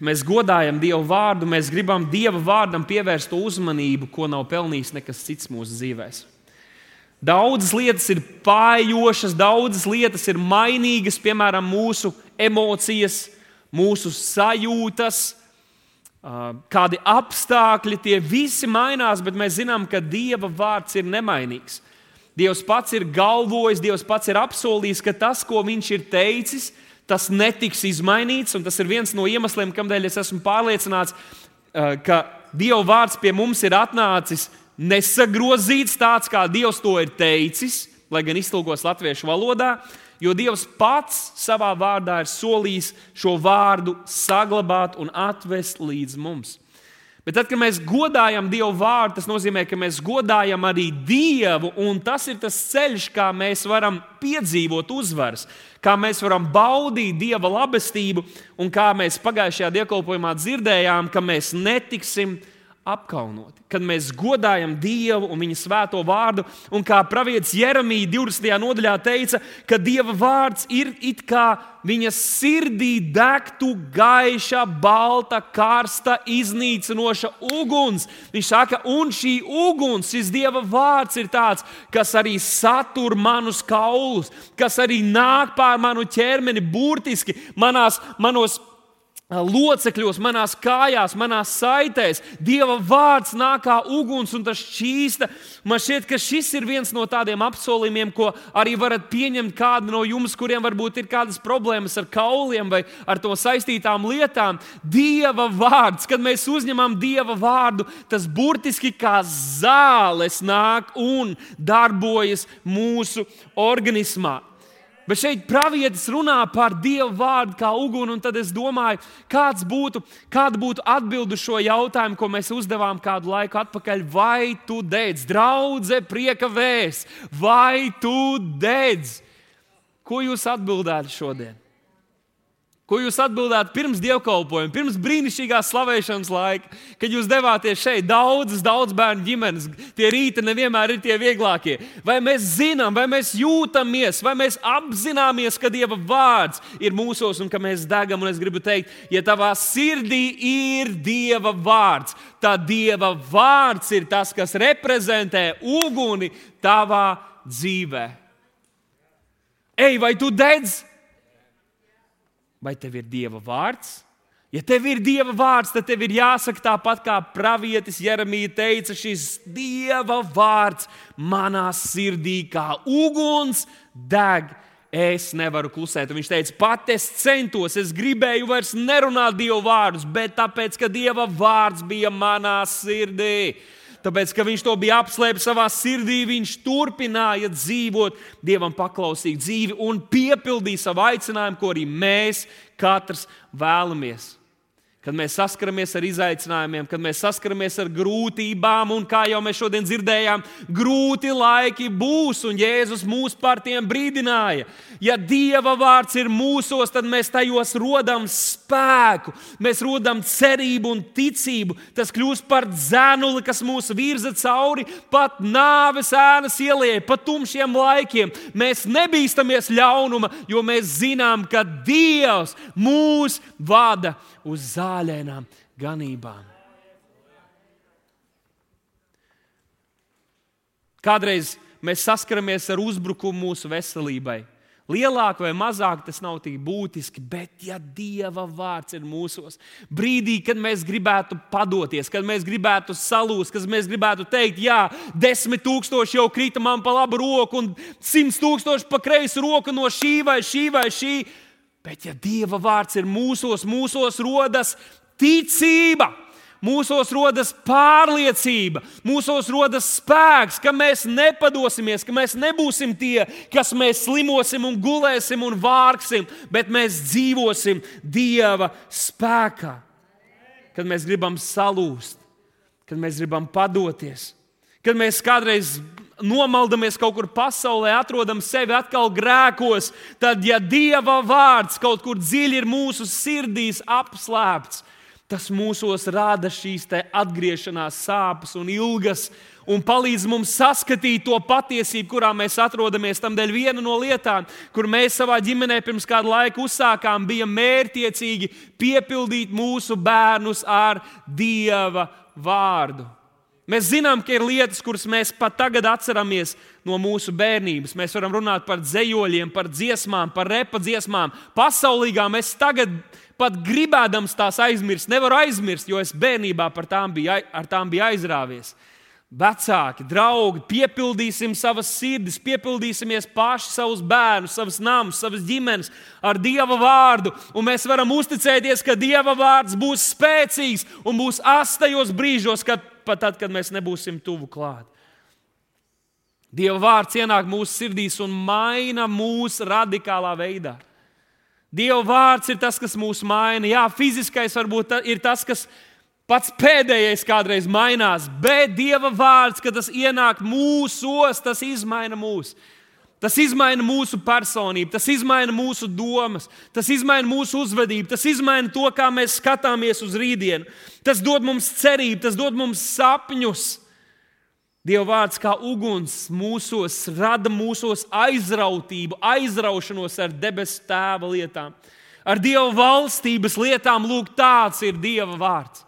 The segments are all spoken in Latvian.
Mēs godājam Dieva vārdu, mēs gribam Dieva vārdam pievērst to uzmanību, ko nav pelnījis nekas cits mūsu dzīvēs. Daudzas lietas ir pājošas, daudzas lietas ir mainīgas, piemēram, mūsu emocijas, mūsu sajūtas, kādi apstākļi, tie visi mainās, bet mēs zinām, ka Dieva vārds ir nemainīgs. Dievs pats ir galvojis, Dievs pats ir apsolījis, ka tas, ko viņš ir teicis, tas netiks izmainīts, un tas ir viens no iemesliem, kādēļ es esmu pārliecināts, ka Dieva vārds pie mums ir atnācis nesagrozīts tāds, kā Dievs to ir teicis, lai gan iztulkos latviešu valodā, jo Dievs pats savā vārdā ir solījis šo vārdu saglabāt un atvest līdz mums. Bet tad, kad mēs godājam Dievu vārdu, tas nozīmē, ka mēs godājam arī Dievu, un tas ir tas ceļš, kā mēs varam piedzīvot uzvaras, kā mēs varam baudīt Dieva labestību, un kā mēs pagājušajā dievkalpojumā dzirdējām, ka mēs netiksim apkaunoti. Kad mēs godājam Dievu un viņa svēto vārdu, un kā pravietis Jeremija 20. nodaļā teica, ka Dieva vārds ir it kā viņa sirdī degtu gaiša, balta, karsta, iznīcinoša uguns. Viņš saka, un šī uguns, šis Dieva vārds ir tāds, kas arī satur manus kaulus, kas arī nāk pār manu ķermeni burtiski manos locekļos, manās kājās, manās saitēs. Dieva vārds nāk kā uguns un tas šķīsta. Man šķiet, ka šis ir viens no tādiem apsolījumiem, ko arī varat pieņemt kādi no jums, kuriem varbūt ir kādas problēmas ar kauliem vai ar to saistītām lietām. Dieva vārds, kad mēs uzņemam Dieva vārdu, tas burtiski kā zāles nāk un darbojas mūsu organismā. Bet šeit pravietis runā par Dieva vārdu kā uguni, un tad es domāju, kāda būtu atbilde uz šo jautājumu, ko mēs uzdevām kādu laiku atpakaļ. Vai tu dedz? Draudze, prieka vēsts. Vai tu dedz? Ko jūs atbildētu šodien? Ko jūs atbildētu pirms dievkalpojuma, pirms brīnišķīgās slavēšanas laika, kad jūs devāties šeit daudz bērnu ģimenes? Tie rīti nevienmēr ir tie vieglākie. Vai mēs zinām, vai mēs jūtamies, vai mēs apzināmies, ka Dieva vārds ir mūsos un ka mēs degam? Un es gribu teikt, ja tavā sirdī ir Dieva vārds, tad Dieva vārds ir tas, kas reprezentē uguni tavā dzīvē. Ej, vai tu dedz? Vai tev ir Dieva vārds? Ja tev ir Dieva vārds, tad tev ir jāsaka tāpat, kā pravietis Jeremija teica, šis Dieva vārds manā sirdī kā uguns deg. Es nevaru klusēt. Un viņš teica, pat es centos, es gribēju vairs nerunāt Dieva vārdus, bet tāpēc, ka Dieva vārds bija manā sirdī. Tāpēc, ka viņš to bija apslēpis savā sirdī, viņš turpināja dzīvot Dievam paklausīgu dzīvi un piepildīja savu aicinājumu, ko arī mēs katrs vēlamies. Kad mēs saskaramies ar izaicinājumiem, kad mēs saskaramies ar grūtībām, un kā jau mēs šodien dzirdējām, grūti laiki būs, un Jēzus mūs par tiem brīdināja. Ja Dieva vārds ir mūsos, tad mēs tajos rodam spēku, mēs rodam cerību un ticību. Tas kļūst par dzenuli, kas mūs virza cauri pat nāves ēnas ielai, pat tumšiem laikiem. Mēs nebīstamies ļaunuma, jo mēs zinām, ka Dievs mūs vada uz zāļainām ganībām. Kādreiz mēs saskaramies ar uzbrukumu mūsu veselībai. Lielāk vai mazāk tas nav tik būtiski, bet ja Dieva vārds ir mūsos, brīdī, kad mēs gribētu padoties, kad mēs gribētu salūst, kad mēs gribētu teikt, jā, 10,000 jau krita man pa labu roku un 100,000 pa kreisu roku no šī vai šī. Bet ja Dieva vārds ir mūsos rodas ticība, mūsos rodas pārliecība, mūsos rodas spēks, ka mēs nepadosimies, ka mēs nebūsim tie, kas mēs slimosim un gulēsim un vārksim, bet mēs dzīvosim Dieva spēkā. Kad mēs gribam salūst, kad mēs gribam padoties, kad mēs kādreiz nomaldamies kaut kur pasaulē, atrodam sevi atkal grēkos, tad, ja Dieva vārds kaut kur dziļi ir mūsu sirdīs apslēpts, Tas mūsos rada šīs atgriešanās sāpes un ilgas un palīdz mums saskatīt to patiesību, kurā mēs atrodamies. Tamdēļ viena no lietām, kur mēs savā ģimenē pirms kādu laiku uzsākām, bija mērķiecīgi piepildīt mūsu bērnus ar Dieva vārdu. Mēs zinām, ka ir lietas, kuras mēs pat tagad atceramies no mūsu bērnības. Mēs varam runāt par dzejoļiem, par dziesmām, par repa dziesmām, pasaulīgām. Es tagad pat gribēdams tās aizmirst, nevaru aizmirst, jo es bērnībā ar tām biju aizrāvies. Vecāki, draugi, piepildīsim savas sirdis, piepildīsimies paši savus bērnus, savus namus, savas ģimenes ar Dieva vārdu. Un mēs varam uzticēties, ka Dieva vārds būs spēcīgs un būs astajos brīžos, pat tad, kad mēs nebūsim tuvu klāt. Dieva vārds ienāk mūsu sirdīs un maina mūs radikālā veidā. Dieva vārds ir tas, kas mūs maina. Jā, fiziskais varbūt ir tas, kas pats pēdējais kādreiz mainās, bet Dieva vārds, kad tas ienāk mūsos, tas izmaina mūs. Tas izmaina mūsu personību, tas izmaina mūsu domas, tas izmaina mūsu uzvedību, tas izmaina to, kā mēs skatāmies uz rītdienu. Tas dod mums cerību, tas dod mums sapņus. Dieva vārds kā uguns mūsos rada mūsos aizrautību, aizraušanos ar debesu Tēva lietām. Ar Dieva valstības lietām, lūk, tāds ir Dieva vārds.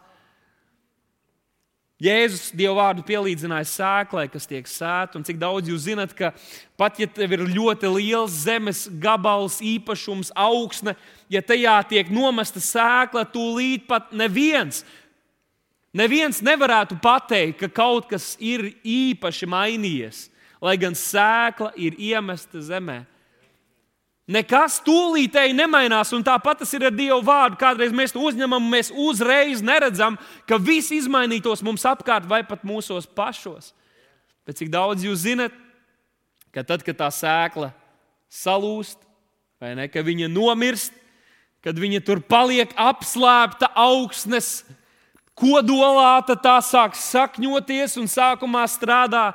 Jēzus Dieva vārdu pielīdzināja sēklai, kas tiek sēta, un cik daudz jūs zinat, ka pat ja tev ir ļoti liels zemes gabals, īpašums, augsne, ja tajā tiek nomesta sēkla, tūlīt pat neviens nevarētu pateikt, ka kaut kas ir īpaši mainījies, lai gan sēkla ir iemesta zemē. Nekas tūlītēji nemainās, un tāpat tas ir ar Dieva vārdu. Kādreiz mēs to uzņemam, mēs uzreiz neredzam, ka viss izmainītos mums apkārt vai pat mūsos pašos. Bet cik daudz jūs zinat, ka tad, kad tā sēkla salūst, vai ne, ka viņa nomirst, kad viņa tur paliek apslēpta augsnes kodolā, tad tā sāk sakņoties un sākumā strādā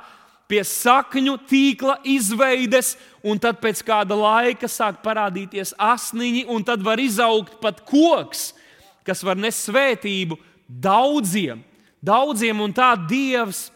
pie sakņu tīkla izveides, un tad pēc kāda laika sāk parādīties asniņi, un tad var izaugt pat koks, kas var nest svētību daudziem, un tā Dievs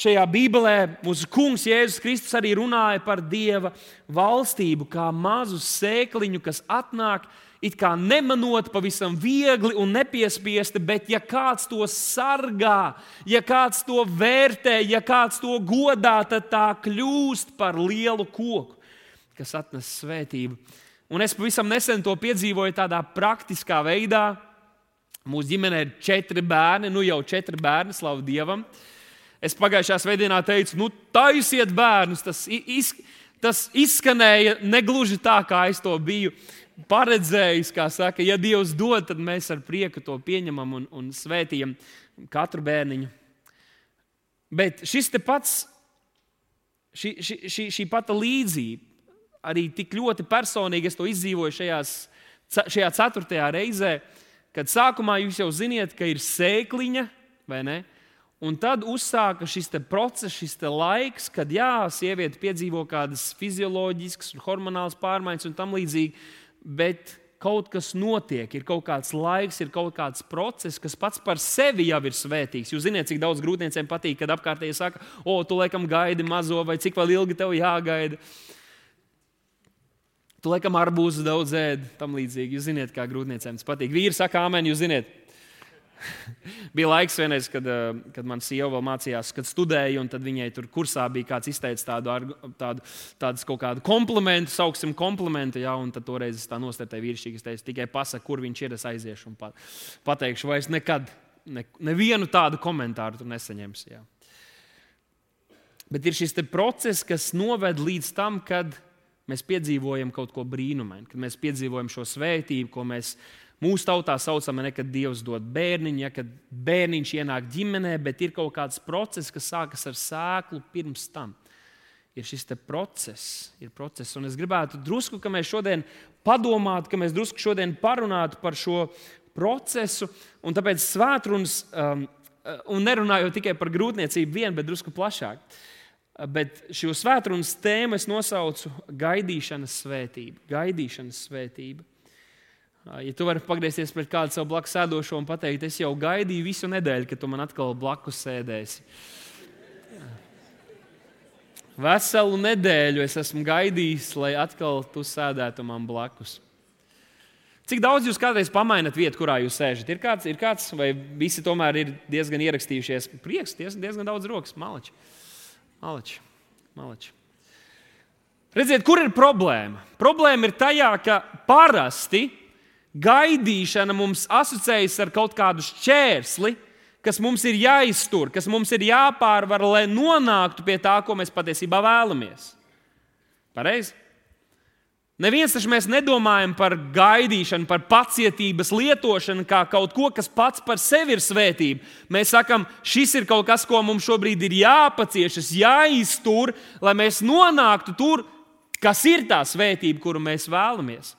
šajā Bībelē, mūsu kungs Jēzus Kristus arī runāja par Dieva valstību, kā mazu sēkliņu, kas atnāk, it kā nemanot, pavisam viegli un nepiespiesti, bet ja kāds to sargā, ja kāds to vērtē, ja kāds to godā, tad tā kļūst par lielu koku, kas atnes svētību. Un es pavisam nesen to piedzīvoju tādā praktiskā veidā. Mūsu ģimenē ir 4 bērni, jau 4 bērni, slavu Dievam. Es pagājušā svētdienā teicu, taisiet bērnus, tas izskanēja negluži tā, kā es to biju paredzējis, kā saka, ja Dievs dod, tad mēs ar prieku to pieņemam un svētījam katru bērniņu. Bet šis te pats, šī pata līdzība, arī tik ļoti personīgi es to izdzīvoju šajā 4. reizē, kad sākumā jūs jau ziniet, ka ir sēkliņa, vai ne? Un tad uzsāka šis te process, šis te laiks, kad sieviete piedzīvo kādas fizioloģiskas un hormonālas pārmaiņas un tam līdzīgi, bet kaut kas notiek, ir kaut kāds laiks, ir kaut kāds process, kas pats par sevi jau ir svētīgs. Jūs ziniet, cik daudz grūtniecēm patīk, kad apkārtēji saka, tu laikam gaidi mazo, vai cik vēl ilgi tev jāgaida. Tu laikam arbūzu daudz ēd, tam līdzīgi. Jūs ziniet, kā grūtniecēm tas patīk. Vīri saka āmen, jūs ziniet. Bija laiks vienreiz, kad man sieva vēl mācījās, kad studēja, un tad viņai tur kursā bija kāds izteicis tādu kaut kādu komplimentu, sauksim komplimentu, un tad toreiz es tā nostartēju vīrišķīgi, es teicu, tikai pasaka, kur viņš ir, es aiziešu un pateikšu, vai es nekad nevienu tādu komentāru tur nesaņemšu. Jā. Bet ir šis te process, kas noved līdz tam, kad mēs piedzīvojam kaut ko brīnumainu, kad mēs piedzīvojam šo svētību, ko mēs mūsu tautā saucam, kad Dievs dod bērniņu, kad bērniņš ienāk ģimenē, bet ir kaut kāds process, kas sākas ar sēklu pirms tam. Ir šis te process, un es gribētu drusku, ka mēs šodien padomātu, ka mēs drusku šodien parunātu par šo procesu, un tāpēc svētrunas, un nerunāju tikai par grūtniecību vien, bet drusku plašāk. Bet šo svētrunas tēmu es nosaucu gaidīšanas svētība. Ja tu vari pagriezties pret kādu savu blakus sēdošo un pateikt, es jau gaidīju visu nedēļu, ka tu man atkal blakus sēdēsi. Veselu nedēļu es esmu gaidījis, lai atkal tu sēdētu man blakus. Cik daudz jūs kādreiz pamainat vietu, kurā jūs sēžat? Ir kāds vai visi tomēr ir diezgan ierakstījušies? Prieks, diezgan daudz rokas. Maleči. Redziet, kur ir problēma? Problēma ir tajā, ka parasti gaidīšana mums asociējas ar kaut kādu šķērsli, kas mums ir jāiztur, kas mums ir jāpārvar, lai nonāktu pie tā, ko mēs patiesībā vēlamies. Pareizi? Neviens taču mēs nedomājam par gaidīšanu, par pacietības lietošanu kā kaut ko, kas pats par sevi ir svētība. Mēs sakam, šis ir kaut kas, ko mums šobrīd ir jāpaciešas, jāiztur, lai mēs nonāktu tur, kas ir tā svētība, kuru mēs vēlamies.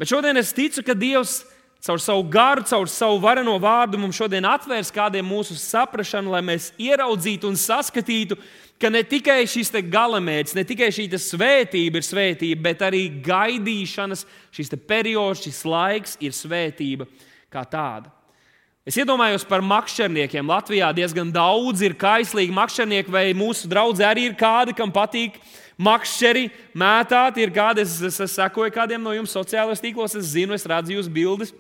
Bet šodien es ticu, ka Dievs caur savu garu, caur savu vareno vārdu mums šodien atvērs kādiem mūsu saprašanu, lai mēs ieraudzītu un saskatītu, ka ne tikai šis galamērķis, ne tikai šī svētība ir svētība, bet arī gaidīšanas, šis periods, šis laiks ir svētība kā tāda. Es iedomājos par makšķerniekiem. Latvijā diezgan daudz ir kaislīgi makšķernieki, vai mūsu draudzē arī ir kādi, kam patīk makšķeri mētāt. Ir kādi, es sekoju kādiem no jums sociālajos tīklos, es zinu, es redzu jūsu bildes.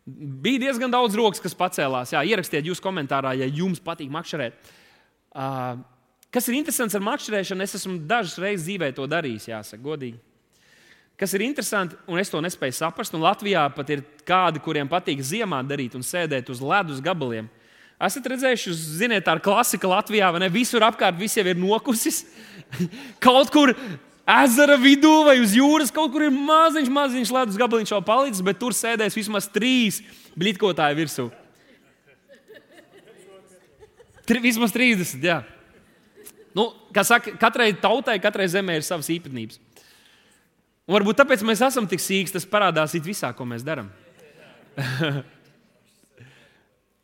Bija diezgan daudz rokas, kas pacēlās. Jā, ierakstiet jūs komentārā, ja jums patīk makšķerēt. Kas ir interesants ar makšķerēšanu, es esmu dažas reizes dzīvē to darījis, jāsaka, godīgi. Kas ir interesanti, un es to nespēju saprast, un Latvijā pat ir kādi, kuriem patīk ziemā darīt un sēdēt uz ledus gabaliem. Esat redzējuši, ziniet, tā ir klasika Latvijā, vai ne? Visur apkārt viss jau ir nokusis. Kaut kur ezera vidū vai uz jūras, kaut kur ir maziņš ledus gabaliņš vēl palicis, bet tur sēdēs vismaz 3 blitkotāji virsū. Vismaz 30, jā. Kā saka, katrai tautai, katrai zemē ir savas īpatnības. Un varbūt tāpēc mēs esam tik sīks, tas parādās visā, ko mēs darām.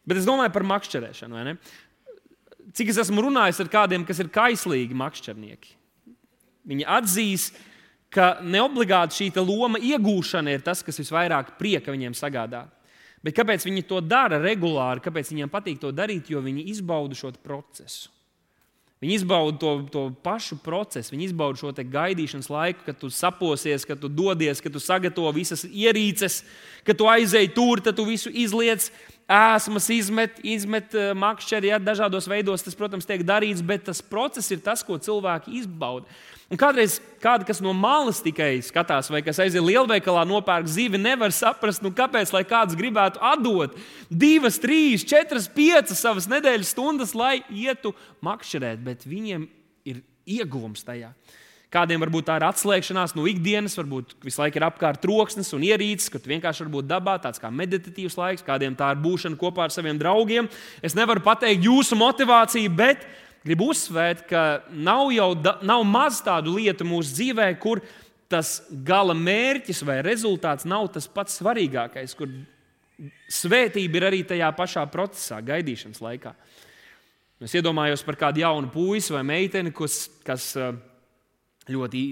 Bet es domāju par makšķerēšanu, vai ne? Cik es esmu runājis ar kādiem, kas ir kaislīgi makšķernieki. Viņi atzīs, ka neobligāti šī loma iegūšana ir tas, kas visvairāk prieka viņiem sagādā. Bet kāpēc viņi to dara regulāri, kāpēc viņiem patīk to darīt? Jo viņi izbauda šo procesu. Viņi izbauda to pašu procesu, viņi izbauda šo gaidīšanas laiku, kad tu saposies, kad tu dodies, kad tu sagatavo visas ierīces, kad tu aizēji tur, tad tu visu izliec, ēsmas izmet makšķeri, ja, dažādos veidos tas, protams, tiek darīts, bet tas process ir tas, ko cilvēki izbauda. Un kādreiz kādi, kas no malas tikai skatās, vai kas aiziet lielveikalā nopērk zivi, nevar saprast, kāpēc, lai kāds gribētu atdot 2, 3, 4, 5 savas nedēļas stundas, lai ietu makšķerēt, bet viņiem ir ieguvums tajā. Kādiem varbūt tā ir atslēgšanās no ikdienas, varbūt visu laiku ir apkārt troksnis un ierīces, ka tu vienkārši varbūt dabā tāds kā meditatīvs laiks, kādiem tā ir būšana kopā ar saviem draugiem. Es nevaru pateikt jūsu motivāciju, bet gribu uzsvērt, ka nav maz tādu lietu mūsu dzīvē, kur tas gala mērķis vai rezultāts nav tas pats svarīgākais, kur svētība ir arī tajā pašā procesā, gaidīšanas laikā. Es iedomājos par kādu jaunu puisi vai meiteni, kas ļoti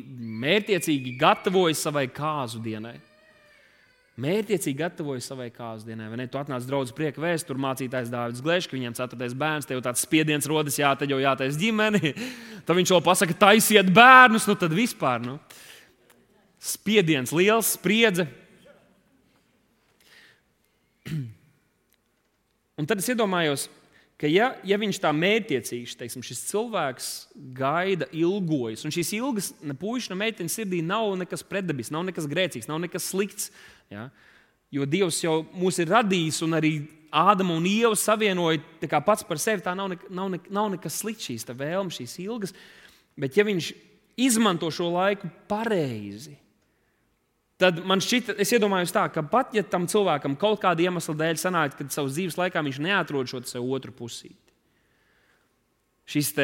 mērķiecīgi gatavojas savai kāzu dienai. Mērķiecīgi gatavojas savai kāzu dienai. Vai ne? Tu atnāc draudzes prieka vēst, tur mācītājs Dāvids Glešs, ka viņam 4. bērns, tev tāds spiediens rodas, tad jau jātais ģimeni. Tad viņš vēl pasaka, taisiet bērnus, tad vispār. Spiediens liels, spriedze. Un tad es iedomājos, ka ja viņš tā mērķiecīgs, teiksim, šis cilvēks gaida, ilgojas, un šīs ilgas ne puiša, ne meitenes sirdī nav nekas pretdabisks, nav nekas grēcīgs, nav nekas slikts. Ja? Jo Dievs jau mūs ir radījis un arī Ādama un Ieva savienoja tā kā pats par sevi. Tā nav nekas slikts, šīs vēlmes, šīs ilgas. Bet ja viņš izmanto šo laiku pareizi, tad man šķita, es iedomājos tā, ka pat ja tam cilvēkam kaut kāda iemesla dēļ sanāk, kad savas dzīves laikā viņš neatrod šo sev otru pusīti. Šis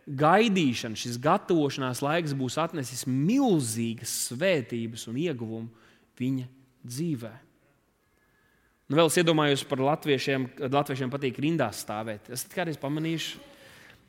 gaidīšana, šis gatavošanās laiks būs atnesis milzīgas svētības un ieguvumu viņa dzīvē. Vēl es iedomājos par latviešiem patīk rindās stāvēt. Esat kādreiz pamanījuši?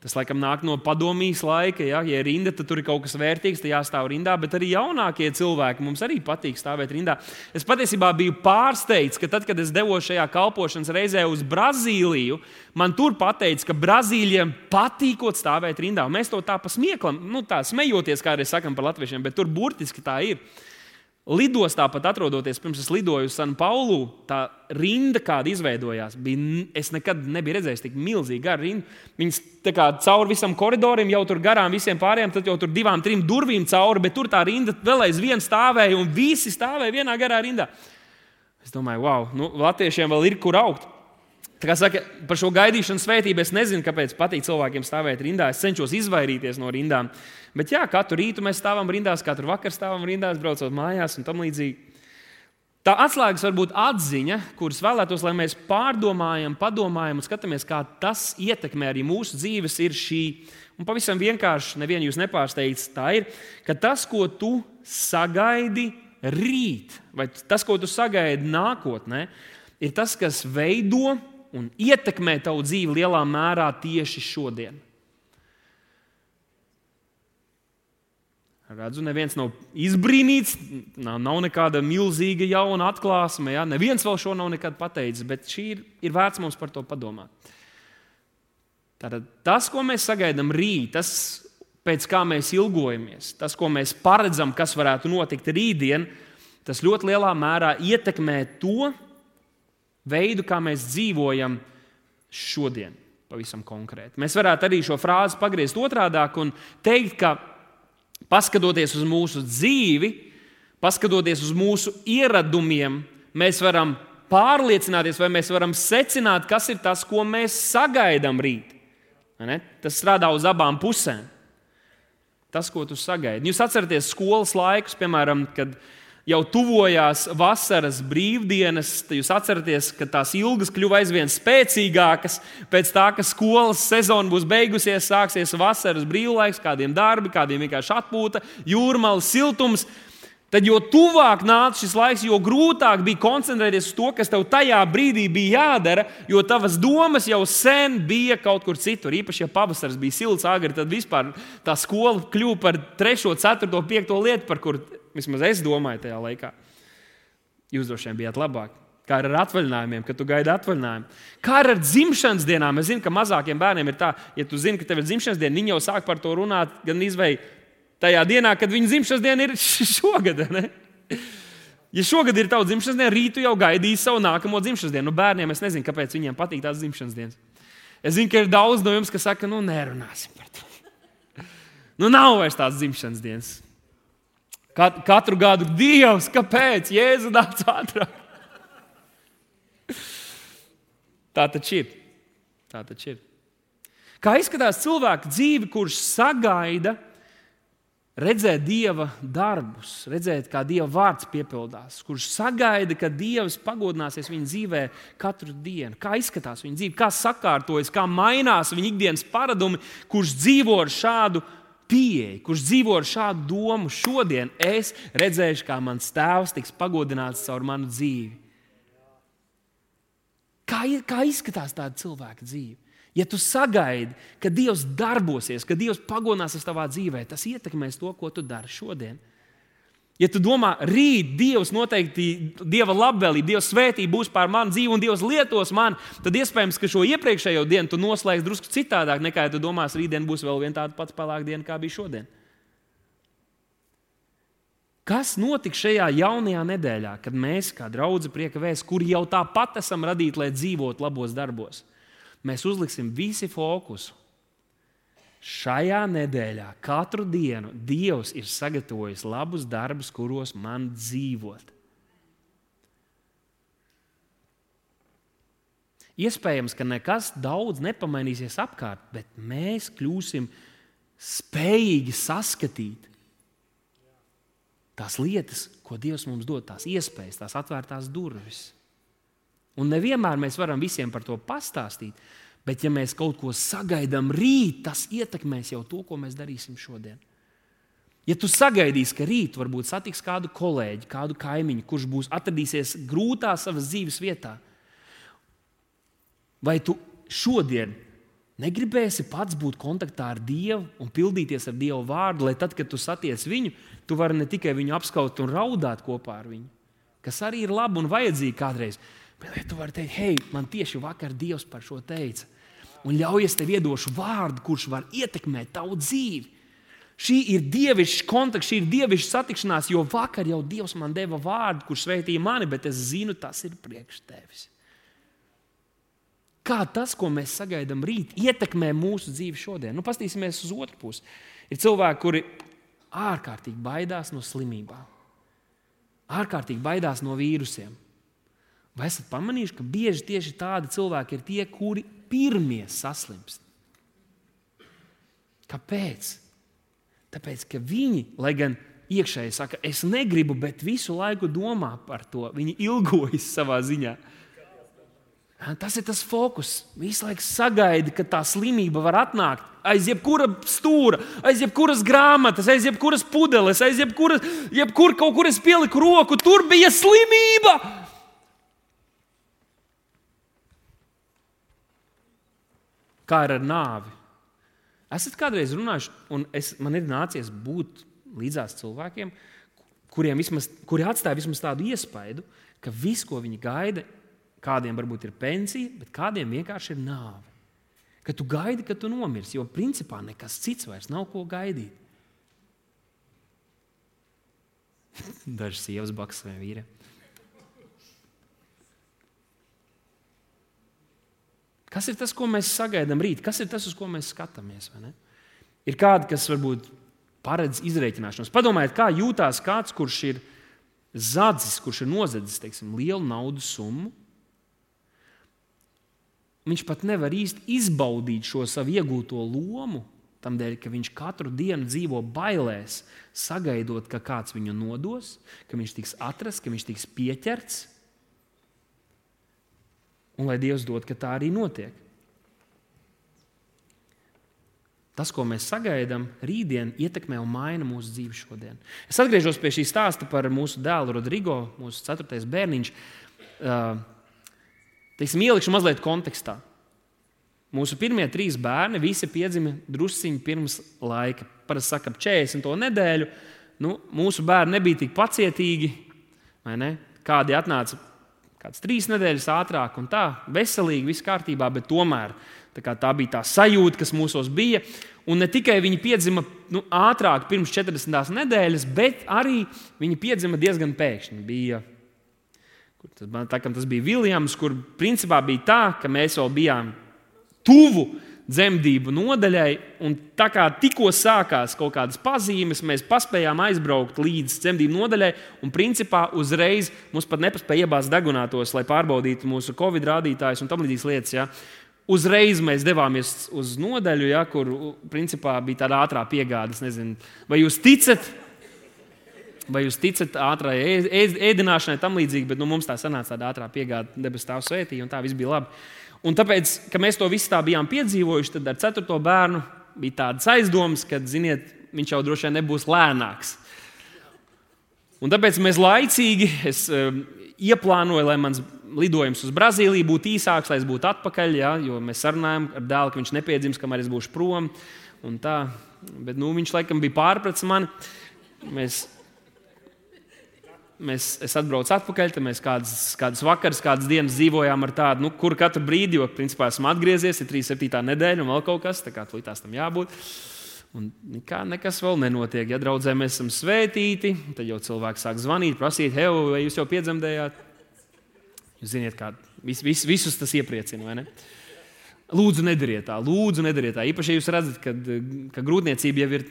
Tas, laikam, nāk no padomijas laika. Ja ir rinda, tad tur ir kaut kas vērtīgs, tad jāstāv rindā. Bet arī jaunākie cilvēki mums arī patīk stāvēt rindā. Es patiesībā biju pārsteigts, ka tad, kad es devos šajā kalpošanas reizē uz Brazīliju, man tur pateica, ka Brazīļiem patīkot stāvēt rindā. Un mēs to tā pasmieklam, tā smejoties, kā arī sakam par latviešiem, bet tur burtiski tā ir. Lidostā pat atrodoties, pirms es lidoju uz San Paulu, tā rinda, kāda izveidojās, es nekad nebiju redzējis tik milzīgi garu rindu. Viņas tā kā cauri visam koridorim, jau tur garām visiem pārējiem, tad jau tur 2-3 durvīm cauri, bet tur tā rinda vēl aizvien stāvēja un visi stāvēja vienā garā rindā. Es domāju, wow, latviešiem vēl ir kur augt. Tā kā saka, par šo gaidīšanu svētību es nezinu, kāpēc patīk cilvēkiem stāvēt rindā. Es cenšos izvairīties no rindām. Bet jā, katru rītu mēs stāvam rindās, katru vakaru stāvam rindās, braucot mājās un tam līdzīgi. Tā atslēgas var būt atziņa, kuras vēlētos, lai mēs pārdomājam, padomājam un skatāmies, kā tas ietekmē arī mūsu dzīves, ir šī. Un pavisam vienkārši, nevienu jūs nepārsteidz, tā ir, ka tas, ko tu sagaidi rīt, vai tas, ko tu sagaidi nākotnē, ir tas, kas veido un ietekmē tavu dzīvi lielā mērā tieši šodien. Redzu, neviens nav izbrīnīts, nav nekāda milzīga jauna atklāsme. Ja? Neviens vēl šo nav nekad pateicis, bet šī ir vērts mums par to padomāt. Tātad tas, ko mēs sagaidām rīt, tas, pēc kā mēs ilgojamies, tas, ko mēs paredzam, kas varētu notikt rītdien, tas ļoti lielā mērā ietekmē to veidu, kā mēs dzīvojam šodien, pavisam konkrēti. Mēs varētu arī šo frāzi pagriezt otrādāk un teikt, ka paskatoties uz mūsu dzīvi, paskatoties uz mūsu ieradumiem, mēs varam pārliecināties vai mēs varam secināt, kas ir tas, ko mēs sagaidām rīt. Tas strādā uz abām pusēm. Tas, ko tu sagaidi. Jūs atceraties skolas laikus, piemēram, kad jau tuvojās vasaras brīvdienas, tad jūs atceraties, ka tās ilgas kļuva aizvien spēcīgākas. Pēc tā, ka skolas sezona būs beigusies, sāksies vasaras brīvlaiks, kādiem darbi, kādiem vienkārši atpūta, jūrmala, siltums. Tad, jo tuvāk nāca šis laiks, jo grūtāk bija koncentrēties uz to, kas tev tajā brīdī bija jādara, jo tavas domas jau sen bija kaut kur citur. Īpaši, ja pavasaris bija silts agri, tad vispār tā skola kļuva par 3., 4., 5. lietu, par kur vismaz es domāju tajā laikā. Jūs droši vien bijāt labāk. Kā ar atvaļinājumiem, kad tu gaidi atvaļinājumu. Kā ar dzimšanas dienām. Es zinu, ka mazākiem bērniem ir tā, ja tu zini, ka tev ir dzimšanas diena, viņi jau sāk par to runāt gan izvēj tajā dienā, kad viņa dzimšanas diena ir šogad. Ne? Ja šogad ir tava dzimšanas diena, rītu jau gaidīs savu nākamo dzimšanas dienu. Bērniem es nezinu, kāpēc viņiem patīk tās dzimšanas dienas. Es zinu, ka ir daudz no jums, kas saka, nerunāsim par to. Nav vairs tās dzimšanas dienas. Katru gadu Dievs, kāpēc? Jēzu nāc ātrāk. Tā taču ir. Kā izskatās cilvēka dzīve, kurš sagaida redzēt Dieva darbus, redzēt, kā Dieva vārds piepildās, kurš sagaida, ka Dievs pagodināsies viņa dzīvē katru dienu. Kā izskatās viņa dzīve, kā sakārtojas, kā mainās viņa ikdienas paradumi, kurš dzīvo ar šādu pieeju, kurš dzīvo ar šādu domu. Šodien es redzēšu, kā mans tēvs tiks pagodināts caur manu dzīvi. Kā izskatās tāda cilvēka dzīve? Ja tu sagaidi, ka Dievs darbosies, ka Dievs pagodināsies tavā dzīvē, tas ietekmēs to, ko tu dari šodien. Ja tu domā, rīt Dievs noteikti, Dieva labvēlība, Dieva svētība būs pār manu dzīvi un Dievs lietos mani, tad iespējams, ka šo iepriekšējo dienu tu noslēgsi drusku citādāk, nekā ja tu domās, rītdien būs vēl viena tāda pats pelēka diena, kā bija šodien. Kas notiks šajā jaunajā nedēļā, kad mēs, kā draudze Prieka vēsts, kuri jau tāpat esam radīti, lai dzīvotu labos darbos, mēs uzliksim visi fokusu. Šajā nedēļā, katru dienu, Dievs ir sagatavojis labus darbus, kuros man dzīvot. Iespējams, ka nekas daudz nepamainīsies apkārt, bet mēs kļūsim spējīgi saskatīt tās lietas, ko Dievs mums dod, tās iespējas, tās atvērtās durvis. Un nevienmēr mēs varam visiem par to pastāstīt, bet ja mēs kaut ko sagaidām rīt, tas ietekmēs jau to, ko mēs darīsim šodien. Ja tu sagaidīsi, ka rīt varbūt satiks kādu kolēģi, kādu kaimiņu, kurš būs atradīsies grūtā savas dzīves vietā, vai tu šodien Negribēsi pats būt kontaktā ar Dievu un pildīties ar Dieva vārdu, lai tad, kad tu satiec viņu, tu vari ne tikai viņu apskaut un raudāt kopā ar viņu, kas arī ir labi un vajadzīgi kādreiz, bet tu vari teikt, hei, man tieši vakar Dievs par šo teica. Un ļauj, es tev iedošu vārdu, kurš var ietekmēt tavu dzīvi. Šī ir dievišķa kontakts, šī ir dievišķa satikšanās, jo vakar jau Dievs man deva vārdu, kurš sveitīja mani, bet es zinu, tas ir priekš tevis. Kā tas, ko mēs sagaidām rīt, ietekmē mūsu dzīvi šodien? Paskatīsimies uz otru pusi. Ir cilvēki, kuri ārkārtīgi baidās no slimībām. Ārkārtīgi baidās no vīrusiem. Vai esat pamanījuši, ka bieži tieši tādi cilvēki ir tie, kuri pirmie saslimst? Kāpēc? Tāpēc, ka viņi, lai gan iekšēji saka, es negribu, bet visu laiku domā par to. Viņi ilgojas savā ziņā. Tas ir tas fokus. Visu laiku sagaida, ka tā slimība var atnākt aiz jebkura stūra, aiz jebkuras grāmatas, aiz jebkuras pudeles, aiz jebkur kaut kur es pieliku roku, tur bija slimība. Kā ir ar nāvi? Esat kādreiz runājuši, un man ir nācies būt līdzās cilvēkiem, kuri atstāja vismaz tādu iespaidu, ka viss, ko viņi gaida, kādiem varbūt ir pensija, bet kādiem vienkārši ir nāve. Ka tu gaidi, ka tu nomirsi, jo principā nekas cits vairs nav ko gaidīt. Dažas sievas baks saviem vīriem. Kas ir tas, ko mēs sagaidām rīt? Kas ir tas, uz ko mēs skatāmies? Vai ne? Ir kādi, kas varbūt paredz izrēķināšanos. Padomājiet, kā jūtās kāds, kurš ir zadzis, kurš ir nozadzis, teiksim, lielu naudas summu. Viņš pat nevar īsti izbaudīt šo savu iegūto lomu, tamdēļ, ka viņš katru dienu dzīvo bailēs, sagaidot, ka kāds viņu nodos, ka viņš tiks atrasts, ka viņš tiks pieķerts. Un lai Dievs dod, ka tā arī notiek. Tas, ko mēs sagaidām rītdien, ietekmē un maina mūsu dzīvi šodien. Es atgriežos pie šī stāsta par mūsu dēlu Rodrigo, mūsu 4. bērniņš. Ielikšu mazliet kontekstā. Mūsu pirmie 3 bērni visi piedzima drusciņi pirms laika. Parasti saka, ap 40. nedēļu. Mūsu bērni nebija tik pacietīgi, vai ne? Kādi atnāca kāds 3 nedēļas ātrāk un tā, veselīgi, viss kārtībā, bet tomēr tā bija tā sajūta, kas mūsos bija. Un ne tikai viņi piedzima ātrāk pirms 40. nedēļas, bet arī viņi piedzima diezgan pēkšņi. Tas bija Viljams, kur principā bija tā, ka mēs vēl bijām tuvu dzemdību nodaļai, un tā kā tikko sākās kaut kādas pazīmes, mēs paspējām aizbraukt līdz dzemdību nodaļai, un principā uzreiz mums pat nepaspēja iebāzt degunātos, lai pārbaudītu mūsu Covid rādītājus un tam līdzīgas lietas. Ja. Uzreiz mēs devāmies uz nodaļu, ja, kur principā bija tāda ātrā piegāde. Es nezinu, vai jūs ticat ātrai ēdināšanai, tam līdzīgi, bet mums tā sanāca tāda ātrā piegāde, debes Tēvs svētīja, un tā viss bija labi. Un tāpēc, ka mēs to visu tā bijām piedzīvojuši, tad ar 4. bērnu bija tādas aizdomas, ka, ziniet, viņš jau droši vien nebūs lēnāks. Un tāpēc mēs laicīgi ieplānoju, lai mans lidojums uz Brazīliju būtu īsāks, lai es būtu atpakaļ, ja, jo mēs sarunājam ar dēlu, ka viņš nepiedzims, kamēr es būšu prom. Un tā. Bet viņš laikam bija pārpratis mani. Es atbraucu atpakaļ, tad mēs kādas vakaras, kādas dienas dzīvojām ar tādu, kur katru brīdi, jo principā esmu atgriezies, ir 37. nedēļa un vēl kaut kas, tā kā tūlītās tam jābūt. Un nekas vēl nenotiek. Ja draudzē mēs esam svētīti, tad jau cilvēki sāk zvanīt, prasīt, hei, vai jūs jau piedzemdējāt? Jūs ziniet, kā visus tas iepriecina, vai ne? Lūdzu, nedariet tā. Īpaši, ja jūs redzat, ka grūtniecība jau ir,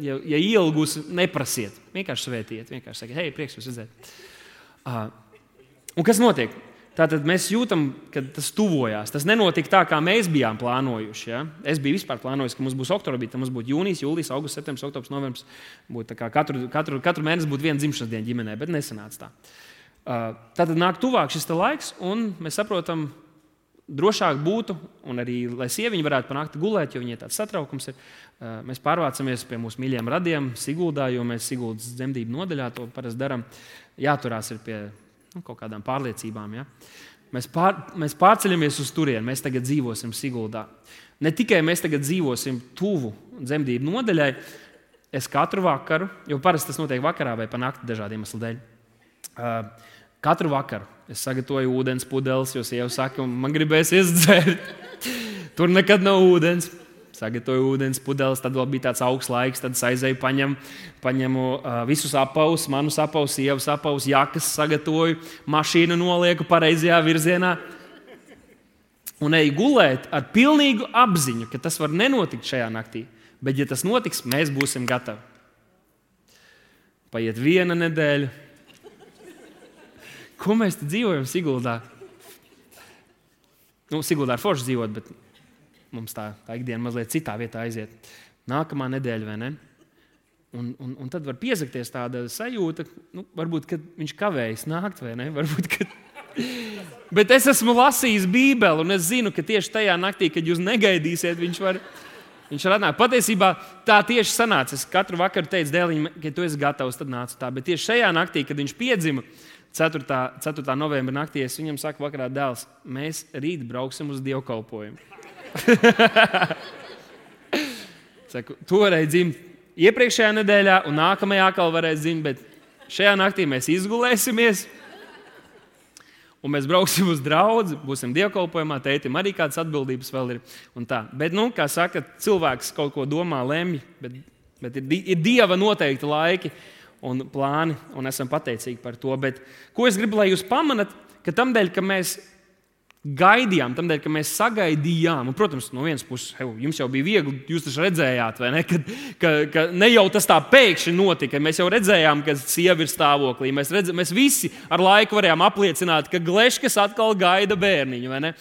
ja ielgusi, neprasiet. Vienkārši svētiet, vienkārši sakiet, hei, prieks jūs redzēt. Un kas notiek? Tātad mēs jūtam, ka tas tuvojās. Tas nenotika tā, kā mēs bijām plānojuši. Ja? Es biju vispār plānojis, ka mums būs oktobrī, tad mums būtu jūnijas, jūlijas, augusts, septembris, oktobris, novembris. Būtu tā kā katru mēnesi būtu viena dzimšanas diena ģimenē, bet nesanāca tā. Tātad nāk tuvāk šis laiks, un mēs saprotam, drošāk būtu, un arī, lai sieviņi varētu panākt gulēt, jo viņai tāds satraukums ir. Mēs pārvācamies pie mūsu mīļiem radiem Siguldā, jo mēs Siguldas dzemdību nodaļā to parasti darām. Jāturās ir pie kaut kādām pārliecībām. Ja? Mēs pārceļamies uz turieni, mēs tagad dzīvosim Siguldā. Ne tikai mēs tagad dzīvosim tuvu dzemdību nodaļai, es katru vakaru, jo parasti tas notiek vakarā vai pa nakti dažādiem iemeslu dēļ, katru vakaru es sagatavoju ūdens pudeles, jo sieva saka, man gribēsies dzert. Tur nekad nav ūdens. Sagatavoju ūdens pudeles, tad vēl bija tāds augsts laiks, tad es aizēju, paņemu visus apavus, manus apavus, sievas apavus, jakas sagatavoju, mašīnu nolieku pareizajā virzienā un eju gulēt ar pilnīgu apziņu, ka tas var nenotikt šajā naktī, bet ja tas notiks, mēs būsim gatavi. Paiet 1 nedēļa. Ko mēs te dzīvojam Siguldā? Siguldā ir forši dzīvot, bet mums tā ikdiena mazliet citā vietā aiziet. Nākamā nedēļa, vai ne? Un tad var piezakties tāda sajūta, varbūt, kad viņš kavējas nākt, vai ne? Varbūt, kad... Bet es esmu lasījis Bībeli, un es zinu, ka tieši tajā naktī, kad jūs negaidīsiet, viņš var atnākt. Patiesībā tā tieši sanāca. Es katru vakaru teicu dēliņam, ka tu esi gatavs, tad nācu tā. Bet tieši šajā naktī, kad viņš piedzima, 4. novembra naktī, es viņam saku vakarā, dēls, mēs rīt brauksim uz dievkalpojumu. Saku, tu varēji dzimt iepriekšējā nedēļā un nākamajā atkal varēji dzimt, bet šajā naktī mēs izgulēsimies un mēs brauksim uz draudzi, būsim dievkalpojumā, tētim arī kādas atbildības vēl ir un tā. Bet, kā saka, cilvēks kaut ko domā, lemj, bet ir Dieva noteikti laiki un plāni, un esam pateicīgi par to. Bet ko es gribu, lai jūs pamanat, ka tamdēļ, ka mēs gaidījām, tamdēļ, ka mēs sagaidījām, un, protams, no vienas puses, jums jau bija viegli, jūs taču redzējāt, vai ne, ka ne jau tas tā pēkšņi notika, mēs jau redzējām, ka sieva ir stāvoklī, mēs visi ar laiku varējām apliecināt, ka Gleškas atkal gaida bērniņu, vai ne?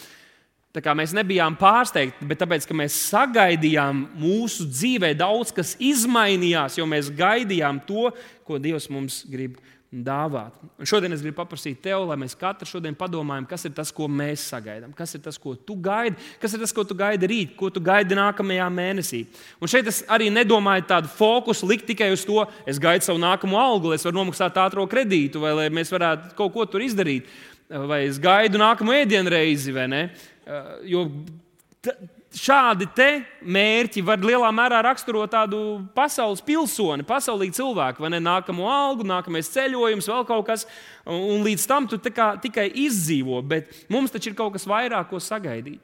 Tā kā mēs nebijām pārsteigti, bet tāpēc, ka mēs sagaidījām, mūsu dzīvē daudz kas izmainījās, jo mēs gaidījām to, ko Dievs mums grib dāvāt. Un šodien es gribu paprasīt tev, lai mēs katru šodien padomājam, kas ir tas, ko mēs sagaidām, kas ir tas, ko tu gaidi, kas ir tas, ko tu gaidi rīt, ko tu gaidi nākamajā mēnesī. Un šeit es arī nedomāju tādu fokusu likt tikai uz to, es gaidu savu nākamo algu, lai es varu nomaksāt ātro kredītu, vai lai mēs varētu kaut ko tur izdarīt, vai es gaidu nākamo ēdienreizi, vai ne? Jo šādi te mērķi var lielā mērā raksturot tādu pasaules pilsoni, pasaulīgu cilvēku, vai ne? Nākamo algu, nākamais ceļojums, vēl kaut kas, un līdz tam tu tikai izdzīvo, bet mums taču ir kaut kas vairāk, ko sagaidīt.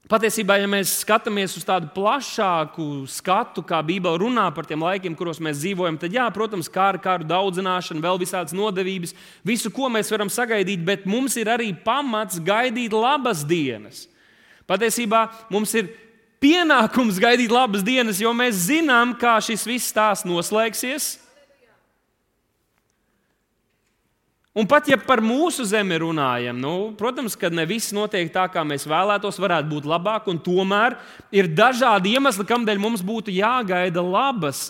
Patiesībā, ja mēs skatāmies uz tādu plašāku skatu, kā Bībele runā par tiem laikiem, kuros mēs dzīvojam, tad, jā, protams, kāru daudzināšana, vēl visādas nodevības, visu, ko mēs varam sagaidīt, bet mums ir arī pamats gaidīt labas dienas. Patiesībā mums ir pienākums gaidīt labas dienas, jo mēs zinām, kā šis viss stāsts noslēgsies. Un pat ja par mūsu zemi runājam, protams, ka ne viss notiek tā, kā mēs vēlētos, varētu būt labāk, un tomēr ir dažādi iemesli, kādēļ mums būtu jāgaida labas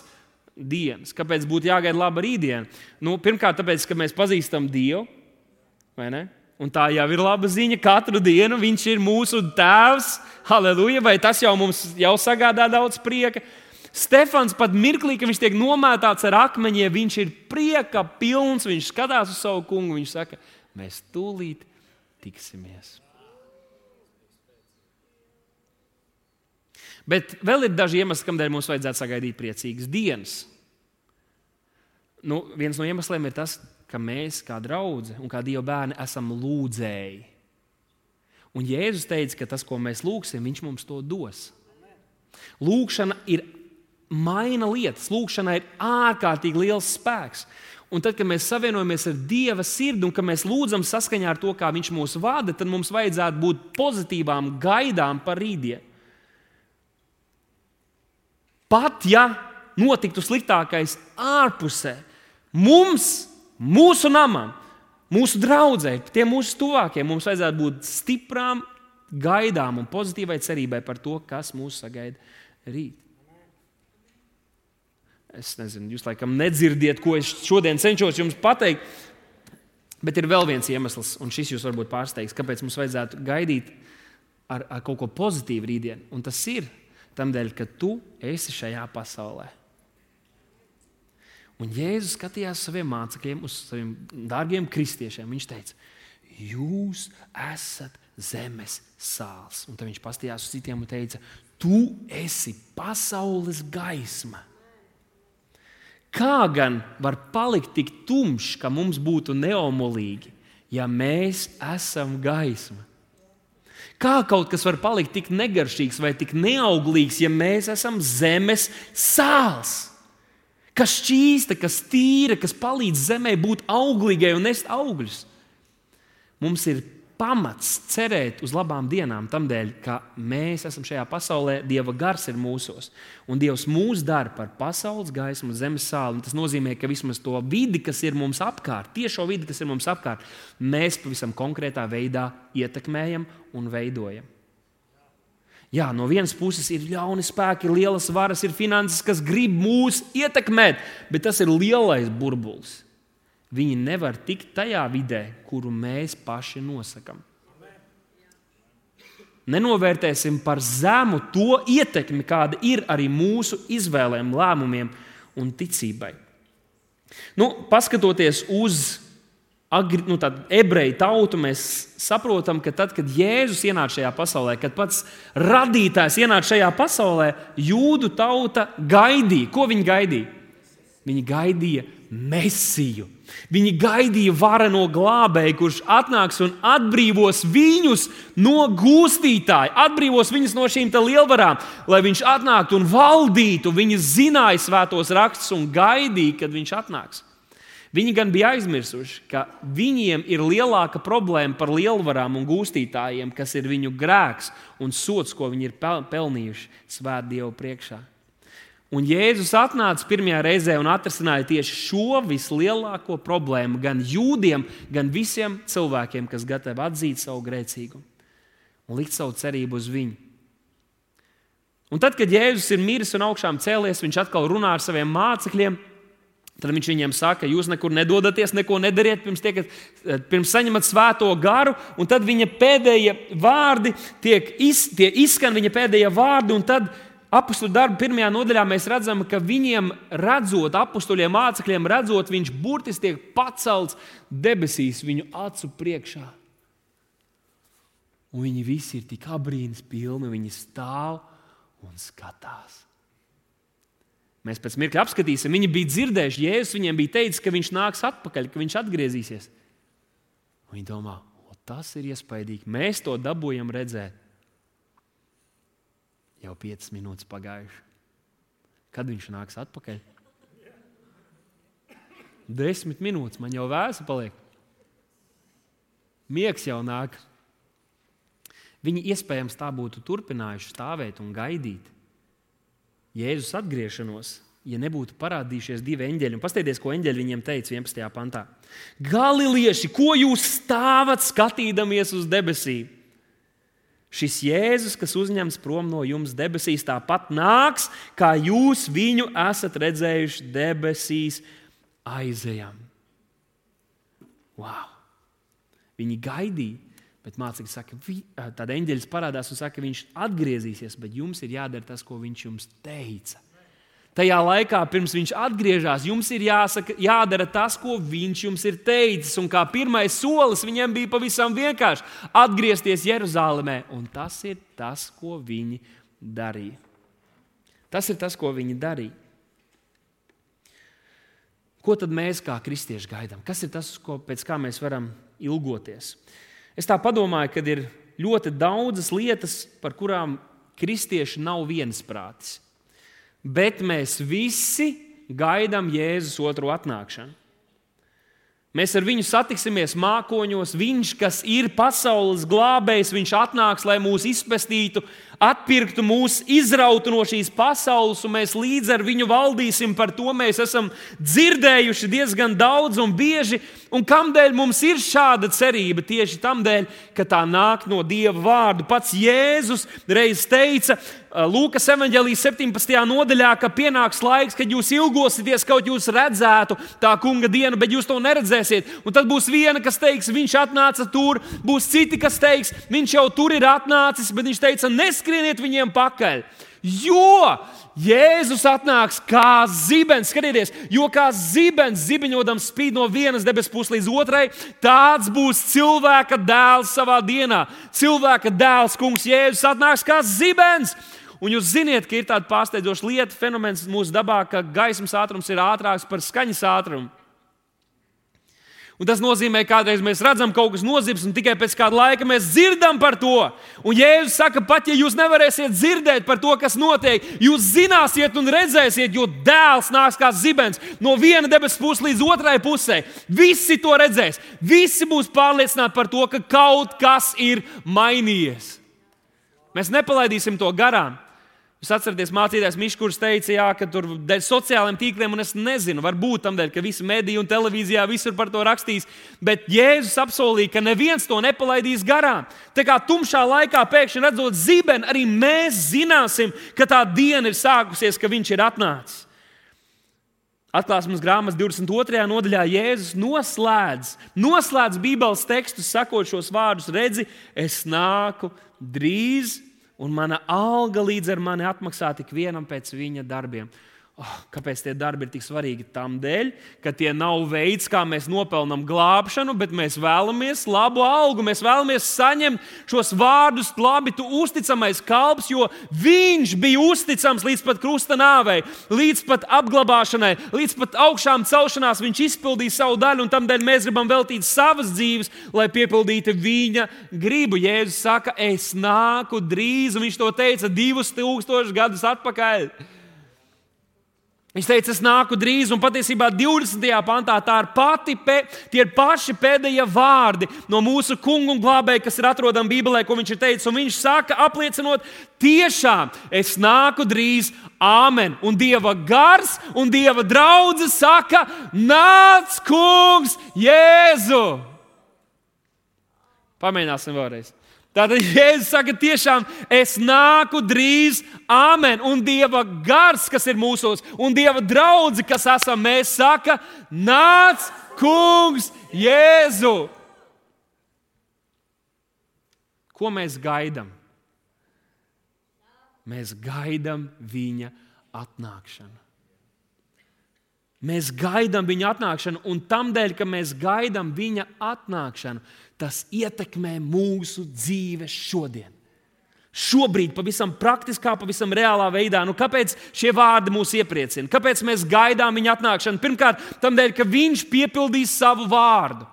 dienas. Kāpēc būtu jāgaida laba rītdiena? Pirmkārt, tāpēc, ka mēs pazīstam Dievu, vai ne? Un tā jau ir laba ziņa. Katru dienu Viņš ir mūsu tēvs, halleluja, vai tas jau mums sagādā daudz prieka. Stefans pat mirklī, ka viņš tiek nomētāts ar akmeņiem, viņš ir prieka pilns, viņš skatās uz savu kungu, viņš saka, mēs tūlīt tiksimies. Bet vēl ir daži iemesli, kādēļ mums vajadzētu sagaidīt priecīgas dienas. Viens no iemesliem ir tas, ka mēs kā draudze un kā Dieva bērni esam lūdzēji. Un Jēzus teica, ka tas, ko mēs lūgsim, Viņš mums to dos. Lūgšana ir maina lietas. Lūgšanā ir ārkārtīgi liels spēks. Un tad, kad mēs savienojamies ar Dieva sirdi un ka mēs lūdzam saskaņā ar to, kā Viņš mūs vada, tad mums vajadzētu būt pozitīvām gaidām par rītdienu. Pat ja notiktu sliktākais ārpusē, mūsu namam, mūsu draudzei, tiem mūsu tuvākiem, mums vajadzētu būt stiprām gaidām un pozitīvai cerībai par to, kas mūs sagaida rīt. Es nezinu, jūs laikam nedzirdiet, ko es šodien cenšos jums pateikt, bet ir vēl viens iemesls, un šis jūs varbūt pārsteigs, kāpēc mums vajadzētu gaidīt ar kaut ko pozitīvu rītdienu. Un tas ir tamdēļ, ka tu esi šajā pasaulē. Un Jēzus skatījās saviem mācekļiem, uz saviem dārgiem kristiešiem. Viņš teica, jūs jūs esat zemes sāls. Un tad viņš pastījās uz citiem un teica, tu esi pasaules gaisma. Kā gan var palikt tik tumšs, ka mums būtu neomolīgi, ja mēs esam gaisma? Kā kaut kas var palikt tik negaršīgs vai tik neauglīgs, ja mēs esam zemes sāls? Kas šķīsta, kas tīra, kas palīdz zemē būt auglīgai un nest augļus. Mums ir pamats cerēt uz labām dienām, tamdēļ, ka mēs esam šajā pasaulē, Dieva gars ir mūsos. Un Dievs mūs dara par pasaules gaismu un zemes sāli. Tas nozīmē, ka vismaz to vidi, kas ir mums apkārt, tiešo vidi, kas ir mums apkārt, mēs pavisam konkrētā veidā ietekmējam un veidojam. Jā, no vienas puses ir ļauni spēki, ir lielas varas, ir finanses, kas grib mūs ietekmēt, bet tas ir lielais burbulis. Viņi nevar tikt tajā vidē, kuru mēs paši nosakam. Nenovērtēsim par zemu to ietekmi, kāda ir arī mūsu izvēlēm, lēmumiem un ticībai. Paskatoties uz ebreju tautu, mēs saprotam, ka tad, kad Jēzus ienāca šajā pasaulē, kad pats radītājs ienāca šajā pasaulē, jūdu tauta gaidīja. Ko viņi gaidīja? Viņi gaidīja Mesiju. Viņi gaidīja vareno glābēju, kurš atnāks un atbrīvos viņus no gūstītāja, atbrīvos viņus no šīm lielvarām, lai viņš atnāktu un valdītu. Viņi zināja svētos rakstus un gaidīja, kad viņš atnāks. Viņi gan bija aizmirsuši, ka viņiem ir lielāka problēma par lielvarām un gūstītājiem, kas ir viņu grēks un sods, ko viņi ir pelnījuši svēt Dievu priekšā. Un Jēzus atnāca pirmajā reizē un atrisināja tieši šo vislielāko problēmu gan jūdiem, gan visiem cilvēkiem, kas gatavi atzīt savu grēcīgumu un likt savu cerību uz viņu. Un tad, kad Jēzus ir miris un augšām cēlies, viņš atkal runā ar saviem mācekļiem. Tad viņš viņiem saka, jūs nekur nedodaties, neko nedariet, pirms saņemat svēto garu. Un tad viņa pēdējie vārdi izskan viņa pēdējie vārdi, un tad Apostoļu darbu 1. nodaļā mēs redzam, ka viņiem redzot, apostoļiem mācekļiem redzot, viņš burtiski tiek pacelts debesīs viņu acu priekšā. Un viņi visi ir tik abrīnas pilni, viņi stāv un skatās. Mēs pēc mirkļa apskatīsim, viņi bija dzirdējuši, Jēzus viņiem bija teicis, ka viņš nāks atpakaļ, ka viņš atgriezīsies. Un viņi domā, tas ir iespaidīgi, mēs to dabūjam redzēt. Jau 5 minūtes pagājuši. Kad viņš nāks atpakaļ? 10 minūtes, man jau vēsa paliek. Miegs jau nāk. Viņi iespējams tā būtu turpinājuši stāvēt un gaidīt Jēzus atgriešanos, ja nebūtu parādījušies 2 eņģeļi. Un paskatieties, ko eņģeļi viņiem teica 11. pantā. Galilieši, ko jūs stāvat skatīdamies uz debesīm? Šis Jēzus, kas uzņems prom no jums debesīs, tāpat nāks, kā jūs viņu esat redzējuši debesīs aizejam. Wow! Viņi gaidīja, bet mācekļi saka, tad eņģeļs parādās un saka, viņš atgriezīsies, bet jums ir jādara tas, ko viņš jums teica. Tajā laikā, pirms viņš atgriežas, jums ir jādara tas, ko viņš jums ir teicis. Un kā pirmais solis viņiem bija pavisam vienkārši atgriezties Jeruzālēmē. Un tas ir tas, ko viņi darīja. Tas ir tas, ko viņi darīja. Ko tad mēs kā kristieši gaidām? Kas ir tas, pēc kā mēs varam ilgoties? Es tā padomāju, ka ir ļoti daudzas lietas, par kurām kristieši nav viensprātis. Bet mēs visi gaidām Jēzus otro atnākšanu. Mēs ar viņu satiksimies mākoņos. Viņš, kas ir pasaules glābējs, viņš atnāks, lai mūs izpestītu, atpirktu mūs, izrautu no šīs pasaules, un mēs līdz ar viņu valdīsim. Par to mēs esam dzirdējuši diezgan daudz un bieži. Un kamdēļ mums ir šāda cerība? Tieši tamdēļ, ka tā nāk no Dieva vārdu. Pats Jēzus reiz teica Lūkas evaņģēlijas 17. nodaļā, ka pienāks laiks, kad jūs ilgosieties, kaut jūs redzētu tā kunga dienu, bet jūs to neredzēsiet. Un tad būs viena, kas teiks, viņš atnāca tur, būs citi, kas teiks, viņš jau tur ir atnācis, bet viņš teica, neskrieniet viņiem pakaļ. Jo Jēzus atnāks kā zibens, skatieties, jo kā zibens zibiņodams spīd no vienas debesu puses līdz otrai, tāds būs cilvēka dēls savā dienā. Cilvēka dēls, kungs Jēzus atnāks kā zibens. Un jūs ziniet, ka ir tāda pārsteidzoša lieta, fenomens mūsu dabā, ka gaismas ātrums ir ātrāks par skaņas ātrumu. Un tas nozīmē, ka kādreiz mēs redzam kaut kas nozibs, un tikai pēc kāda laika mēs dzirdam par to. Un Jēzus saka, pat ja jūs nevarēsiet dzirdēt par to, kas notiek, jūs zināsiet un redzēsiet, jo dēls nāks kā zibens no viena debesu puses līdz otrai pusē. Visi to redzēs. Visi būs pārliecināti par to, ka kaut kas ir mainījies. Mēs nepalaidīsim to garām. Jūs atceraties, mācītājs Mišs, kurš teica, jā, ka tur dēļ sociālajiem tīkliem, un es nezinu, varbūt tam dēļ, ka visi mediji un televīzijā visur par to rakstīs, bet Jēzus apsolīja, ka neviens to nepalaidīs garām. Tā kā tumšā laikā pēkšņi redzot zibeni, arī mēs zināsim, ka tā diena ir sākusies, ka viņš ir atnācis. Atklāsmes grāmatas 22. nodaļā Jēzus noslēdz Bībeles tekstus, sakot šos vārdus: redzi, es nāku drīz, un mana alga līdz ar mani atmaksā tik vienam pēc viņa darbiem. Kāpēc tie darbi ir tik svarīgi? Tādēļ, ka tie nav veids, kā mēs nopelnām glābšanu, bet mēs vēlamies labu algu. Mēs vēlamies saņemt šos vārdus: labi, tu uzticamais kalps, jo viņš bija uzticams līdz pat krusta nāvei, līdz pat apglabāšanai, līdz pat augšām celšanās. Viņš izpildīja savu daļu, un tādēļ mēs gribam veltīt savas dzīves, lai piepildītu viņa gribu. Jēzus saka, es nāku drīz, un viņš to teica 2000 gadus atpakaļ. Viņš teica, es nāku drīz, un patiesībā 20. pantā tie ir paši pēdējie vārdi no mūsu kunga un glābēja, kas ir atrodami Bībelē, ko viņš ir teicis. Un viņš saka, apliecinot, tiešām es nāku drīz, āmen. Un Dieva gars un Dieva draudze saka, nāc, kungs Jēzu! Pamēģināsim vēlreiz. Tātad Jēzus saka, tiešām es nāku drīz, āmen. Un Dieva gars, kas ir mūsos, un Dieva draudze, kas esam mēs, saka, nāc, kungs Jēzu! Ko mēs gaidām? Mēs gaidām viņa atnākšanu. Mēs gaidām viņa atnākšanu, un tamdēļ, ka mēs gaidām viņa atnākšanu, tas ietekmē mūsu dzīves šodien. Šobrīd, pavisam praktiskā, pavisam reālā veidā. Kāpēc šie vārdi mūs iepriecina? Kāpēc mēs gaidām viņa atnākšanu? Pirmkārt, tamdēļ, ka viņš piepildīs savu vārdu.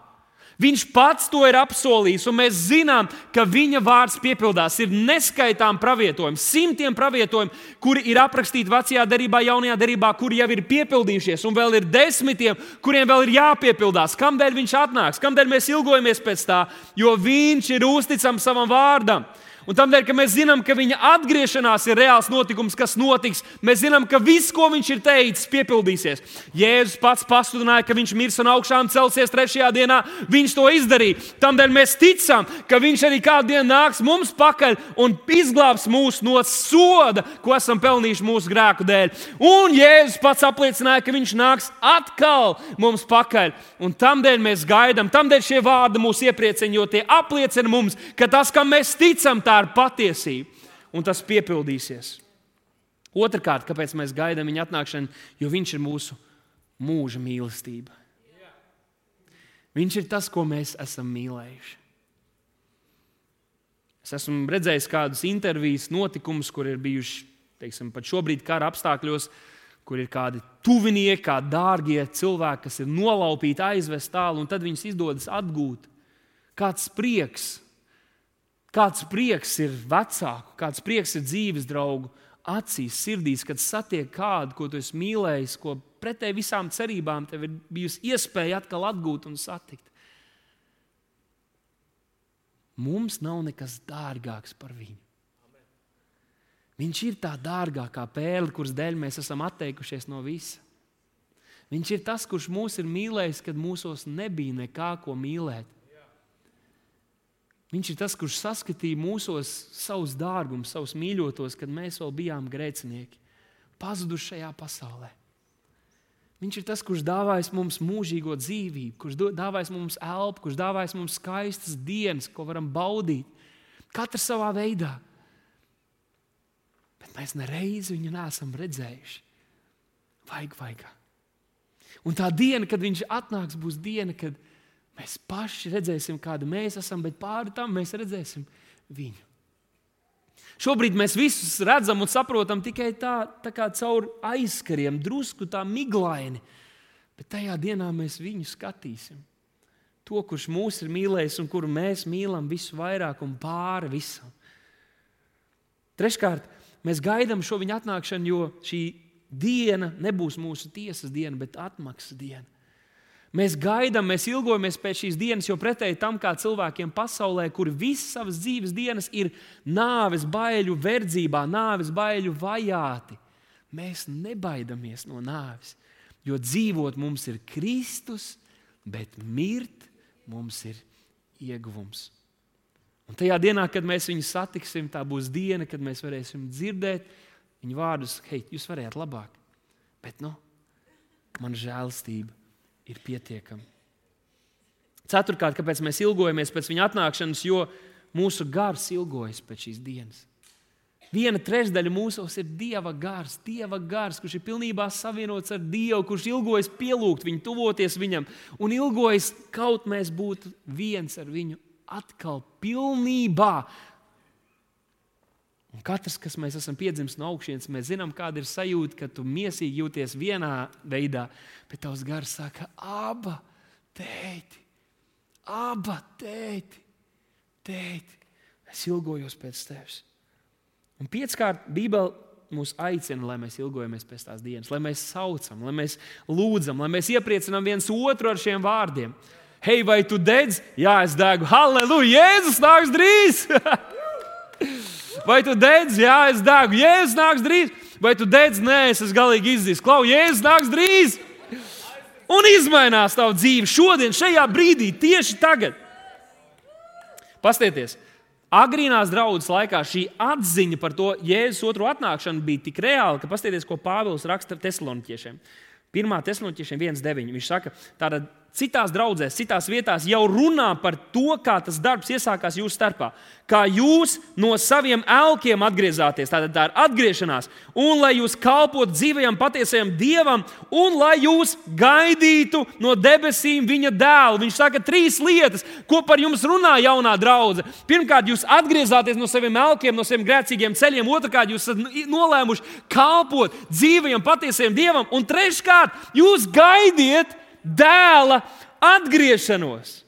Viņš pats to ir apsolījis, un mēs zinām, ka viņa vārds piepildās. Ir neskaitām pravietojumi, simtiem pravietojumu, kuri ir aprakstīti Vecajā derībā, Jaunajā derībā, kuri jau ir piepildījušies, un vēl ir desmitiem, kuriem vēl ir jāpiepildās. Kamdēļ viņš atnāks? Kamdēļ mēs ilgojamies pēc tā? Jo viņš ir uzticams savam vārdam. Un tādēļ, ka mēs zinām, ka viņa atgriešanās ir reāls notikums, kas notiks, mēs zinām, ka viss, ko viņš ir teicis, piepildīsies. Jēzus pats pasludināja, ka viņš mirs un augšām celsies 3. dienā. Viņš to izdarīja. Tādēļ mēs ticam, ka viņš arī kādu dienu nāks mums pakaļ un izglābs mūs no soda, ko esam pelnījuši mūsu grēku dēļ. Un Jēzus pats apliecināja, ka viņš nāks atkal mums pakaļ. Un tādēļ mēs gaidām, tādēļ šie vārdi mūs iepriecina, jo tie apliecina mums, ka tas, kam mēs ticam, tā ir patiesība, un tas piepildīsies. Otrakārt, kāpēc mēs gaidām viņa atnākšanu? Jo viņš ir mūsu mūža mīlestība. Viņš ir tas, ko mēs esam mīlējuši. Es esmu redzējis kādus intervijas notikumus, kur ir bijuši, teiksim, pat šobrīd kara apstākļos, kur ir kādi tuvinieki, kādi dārgie cilvēki, kas ir nolaupīti, aizvest tālu, un tad viņus izdodas atgūt. Kāds prieks ir vecāku, kāds prieks ir dzīves draugu acīs, sirdīs, kad satiek kādu, ko tu esi mīlējis, ko pretēji visām cerībām tev ir bijusi iespēja atkal atgūt un satikt. Mums nav nekas dārgāks par viņu. Viņš ir tā dārgākā pērle, kuras dēļ mēs esam atteikušies no visa. Viņš ir tas, kurš mūs ir mīlējis, kad mūsos nebija nekā, ko mīlēt. Viņš ir tas, kurš saskatīja mūsos savus dārgumus, savus mīļotos, kad mēs vēl bijām grēcinieki, pazuduši šajā pasaulē. Viņš ir tas, kurš dāvājis mums mūžīgo dzīvību, kurš dāvājis mums elpu, kurš dāvājis mums skaistas dienas, ko varam baudīt. Katrs savā veidā. Bet mēs nereizi viņu neesam redzējuši. Vaigā. Un tā diena, kad viņš atnāks, būs diena, kad mēs paši redzēsim, kāda mēs esam, bet pāri tam mēs redzēsim viņu. Šobrīd mēs visus redzam un saprotam tikai tā kā caur aizkariem, drusku tā miglaini. Bet tajā dienā mēs viņu skatīsim. To, kurš mūs ir mīlējis un kuru mēs mīlam visu vairāk un pāri visam. Treškārt, mēs gaidām šo viņa atnākšanu, jo šī diena nebūs mūsu tiesas diena, bet atmaksas diena. Mēs gaidām, mēs ilgojamies pēc šīs dienas, jo pretēji tam, kā cilvēkiem pasaulē, kuri visas savas dzīves dienas ir nāves baiļu verdzībā, nāves baiļu vajāti. Mēs nebaidamies no nāves, jo dzīvot mums ir Kristus, bet mirt mums ir ieguvums. Un tajā dienā, kad mēs viņu satiksim, tā būs diena, kad mēs varēsim dzirdēt viņa vārdus, hei, jūs varējāt labāk, bet man žēlastība ir pietiekama. Ceturtkārt, kāpēc mēs ilgojamies pēc viņa atnākšanas, jo mūsu gars ilgojas pēc šīs dienas. 1/3 mūsos ir Dieva gars, kurš ir pilnībā savienots ar Dievu, kurš ilgojas pielūgt viņu, tuvoties viņam, un ilgojas kaut mēs būtu viens ar viņu atkal pilnībā. Un katrs, kas mēs esam piedzimis no augšienes, mēs zinām, kāda ir sajūta, ka tu miesīgi jūties vienā veidā, bet tavs gars saka, Aba, tēti, es ilgojos pēc tevis. Un 5kārt Bībele mūs aicina, lai mēs ilgojamies pēc tās dienas, lai mēs saucam, lai mēs lūdzam, lai mēs iepriecinām viens otru ar šiem vārdiem. Hei, vai tu dedz? Jā, es degu. Halleluja, Jēzus nāks drīz! Vai tu dedz? Jā, es degu. Jēzus nāks drīz. Vai tu dedz? Nē, es esmu galīgi izdzis. Klau, Jēzus nāks drīz. Un izmainās tavu dzīvi šodien, šajā brīdī, tieši tagad. Pastieties, agrīnās draudzes laikā šī atziņa par to Jēzus otro atnākšanu bija tik reāla, ka pastieties, ko Pāvils raksta Tesaloniķiešiem. 1. Tesaloniķiešiem 1:9. Viņš saka, tātad citās draudzēs, citās vietās jau runā par to, kā tas darbs iesākās jūsu starpā. Kā jūs no saviem elkiem atgriezāties, tātad tā ir atgriešanās, un lai jūs kalpotu dzīvajam, patiesajam Dievam, un lai jūs gaidītu no debesīm viņa dēlu. Viņš saka 3 lietas, ko par jums runā jaunā draudze. Pirmkārt, jūs atgriezāties no saviem elkiem, no saviem grēcīgiem ceļiem. Otrkārt, jūs esat nolēmuši kalpot dzīvajam, patiesajam Dievam. Un treškārt, jūs gaidiet dēla atgriešanos.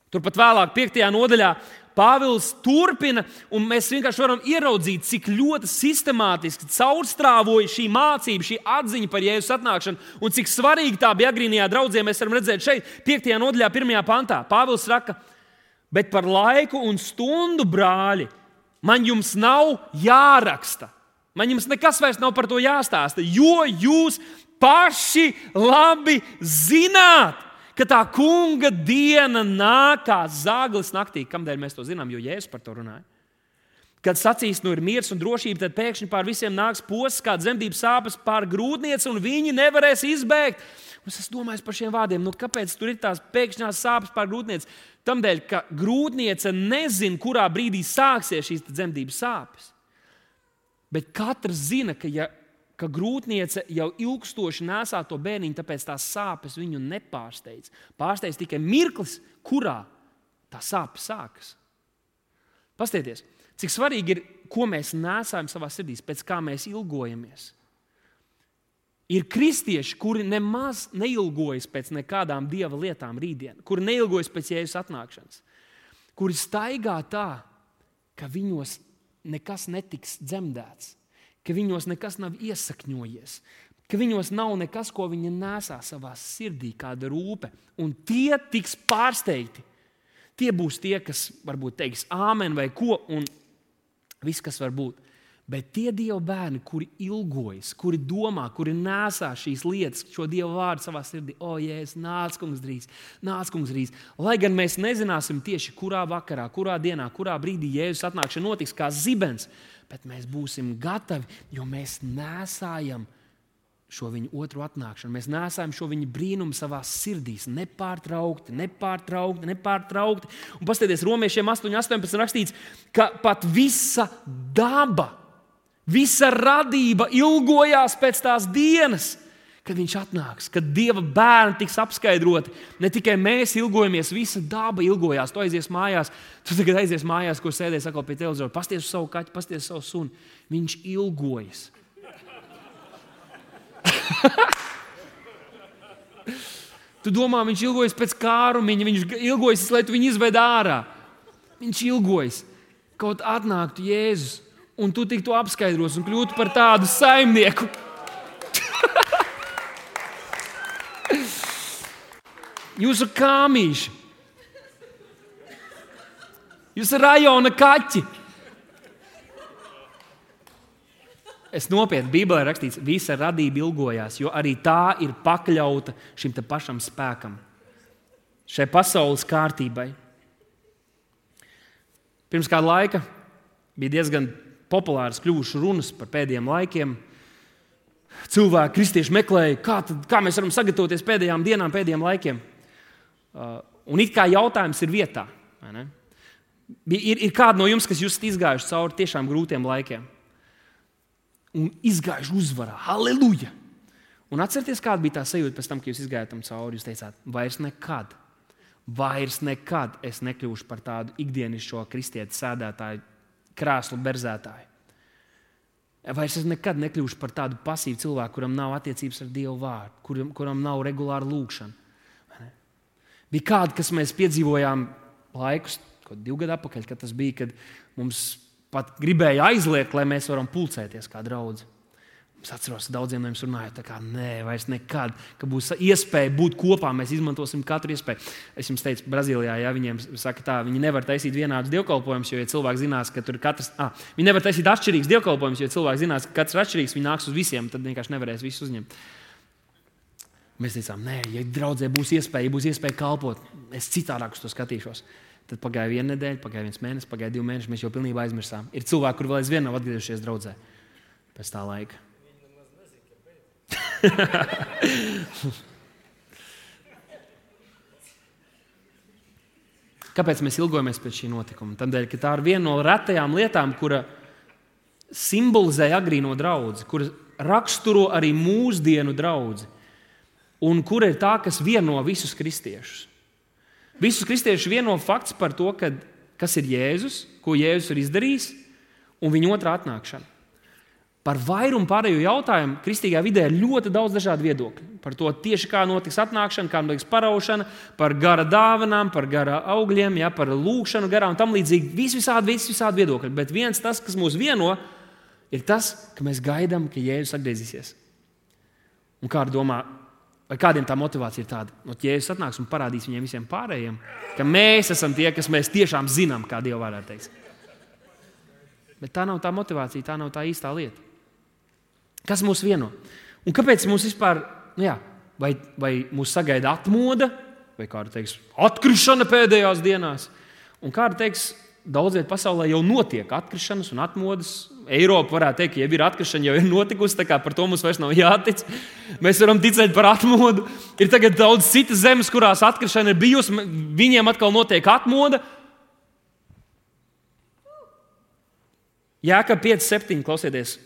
Turpat vēlāk, 5. nodaļā, Pāvils turpina, un mēs vienkārši varam ieraudzīt, cik ļoti sistemātiski caurstrāvoja šī mācība, šī atziņa par Jēzus atnākšanu, un cik svarīgi tā bija agrīnajā draudzē. Mēs varam redzēt šeit, 5. nodaļā, 1. pantā. Pāvils saka, bet par laiku un stundu, brāļi, man jums nav jāraksta. Man jums nekas vairs nav par to jāstāsta, jo jūs paši labi zināt, ka tā kunga diena nāk kā zaglis naktī. Kamdēļ mēs to zinām? Jo Jēzus par to runāja. Kad sacīs, ir miers un drošība, tad pēkšņi pār visiem nāks posts, kā dzemdības sāpes pār grūtnieci, un viņi nevarēs izbēgt. Un es domāju par šiem vārdiem, kāpēc tur ir tās pēkšņās sāpes pār grūtnieci? Tamdēļ, ka grūtniece nezina, kurā brīdī sāksies šīs dzemdības sāpes. Bet katrs zina, ka grūtniece jau ilgstoši nesā to bērniņu, tāpēc tās sāpes viņu nepārsteidz. Pārsteidz tikai mirklis, kurā tā sāpes sākas. Pastieties, cik svarīgi ir, ko mēs nesājam savā sirdīs, pēc kā mēs ilgojamies. Ir kristieši, kuri nemaz neilgojas pēc nekādām Dieva lietām rītdien, kuri neilgojas pēc Jēzus atnākšanas, kuri staigā tā, ka viņos nekas netiks dzemdēts, ka viņos nekas nav iesakņojies, ka viņos nav nekas, ko viņi nesā savā sirdī, kāda rūpe. Un tie tiks pārsteigti. Tie būs tie, kas varbūt teiks āmen vai ko, un viss, kas var būt. Bet tie Dieva bērni, kuri ilgojas, kuri domā, kuri nesā šīs lietas, šo Dieva vārdu savā sirdī, Jēzus, nāc, kungs drīz. Lai gan mēs nezināsim tieši, kurā vakarā, kurā dienā, kurā brīdī Jēzus atnākšana notiks kā zibens, bet mēs būsim gatavi, jo mēs nesājam šo viņa otru atnākšanu. Mēs nesājam šo viņa brīnumu savā sirdīs. Nepārtraukti. Un paskatieties, Romiešiem 8:18 rakstīts, ka pat visa daba Visa radība ilgojās pēc tās dienas, kad viņš atnāks, kad Dieva bērni tiks apskaidroti. Ne tikai mēs ilgojamies, visa daba ilgojās. Tu aizies mājās, tu tagad aizies mājās, kur sēdēs atkal pie televizora. Pasties uz savu kaķi, pasties uz savu suni. Viņš ilgojas. Tu domā, viņš ilgojas pēc kārumiņa, viņš ilgojas, lai tu viņu izved ārā. Viņš ilgojas, kaut atnāktu Jēzus, un tu tiktu apskaidros un kļūtu par tādu saimnieku. Jūsu kāmīši, jūsu rajona kaķi. Es nopietni, Bībelē rakstīts, visa radība ilgojās, jo arī tā ir pakļauta šim te pašam spēkam, šai pasaules kārtībai. Pirms kāda laika bija diezgan populāras kļuvušas runas par pēdējiem laikiem. Cilvēki, kristieši meklēja, kā mēs varam sagatavoties pēdējām dienām, pēdējiem laikiem. Un it kā jautājums ir vietā. Ir kādi no jums, kas jūs esat izgājuši cauri tiešām grūtiem laikiem un izgājuši uzvarā. Halleluja! Un atcerieties, kāda bija tā sajūta pēc tam, kad jūs izgājāt tam cauri. Jūs teicāt, vairs nekad es nekļūšu par tādu ikdienišķo kristieti sēdētāju, krēslu berzētāju. Vairs es nekad nekļūšu par tādu pasīvu cilvēku, kuram nav attiecības ar Dievu vārdu, kuram nav regulāra lūkšana. Bija kādi, kas mēs piedzīvojām laikus, 2 gadu atpakaļ, kad tas bija, kad mums pat gribēja aizliegt, lai mēs varam pulcēties kā draudzi. Es atceros, daudziem no jums runājot, vairs nekad, ka būs iespēja būt kopā, mēs izmantosim katru iespēju. Es jums teicu, Brazīlijā, viņiem saka tā, viņi nevar taisīt vienādus dievkalpojumus, jo ja cilvēki zinās, ka tur katrs, viņi nevar taisīt atšķirīgus dievkalpojumus, jo cilvēki zinās, ka katrs ir atšķirīgs, viņi nāks uz visiem, tad vienkārši nevarēs visus uzņemt. Mēs teicām, ja draudzē būs iespēja kalpot, es citādāk uz to skatīšos. Tad pagāja 1 nedēļa, pagāja 1 mēnesis, pagāja 2 mēneši, mēs jau pilnībā aizmirsām. Ir cilvēki, kur vēl aizvien nav atgriezušies draudzē pēc tā laika. Kāpēc mēs ilgojamies pēc šī notikuma? Tādēļ, ka tā ir viena no retajām lietām, kura simbolizē agrīno draudzi, kura raksturo arī mūsdienu draudzi. Un kur ir tā, kas vieno visus kristiešus? Visus kristiešus vieno fakts par to, kas ir Jēzus, ko Jēzus ir izdarījis, un viņa otrā atnākšana. Par vairumu pārējo jautājumu kristīgā vidē ir ļoti daudz dažādu viedokļu. Par to tieši kā notiks atnākšana, kā notiks paraušana, par gara dāvanām, par gara augļiem, par lūkšanu garā un tam līdzīgi. Visādi viedokļi. Bet viens tas, kas mūs vieno, ir tas, ka mēs gaidām, ka Jēzus atgriezīsies. Un kāda domā, vai kādiem tā motivācija ir tāda, no Jēzus atnāks un parādīs viņiem visiem pārējiem, ka mēs esam tie, kas mēs tiešām zinām, kā Dieva vārdā teiks. Bet tā nav tā motivācija, tā nav tā īstā lieta. Kas mūs vieno? Un kāpēc mums vispār, vai mūs sagaida atmoda, vai kāda teiks, atkrišana pēdējās dienās? Un kāda teiks, daudz viet pasaulē jau notiek atkrišanas un atmodas. Eiropa varētu teikt, ka jau ir atkrišana, jau ir notikusi, tā kā par to mums vairs nav jātic. Mēs varam ticēt par atmodu. Ir tagad daudz citas zemes, kurās atkrišana ir bijusi, viņiem atkal notiek atmoda. Jākab 5:7, klausieties.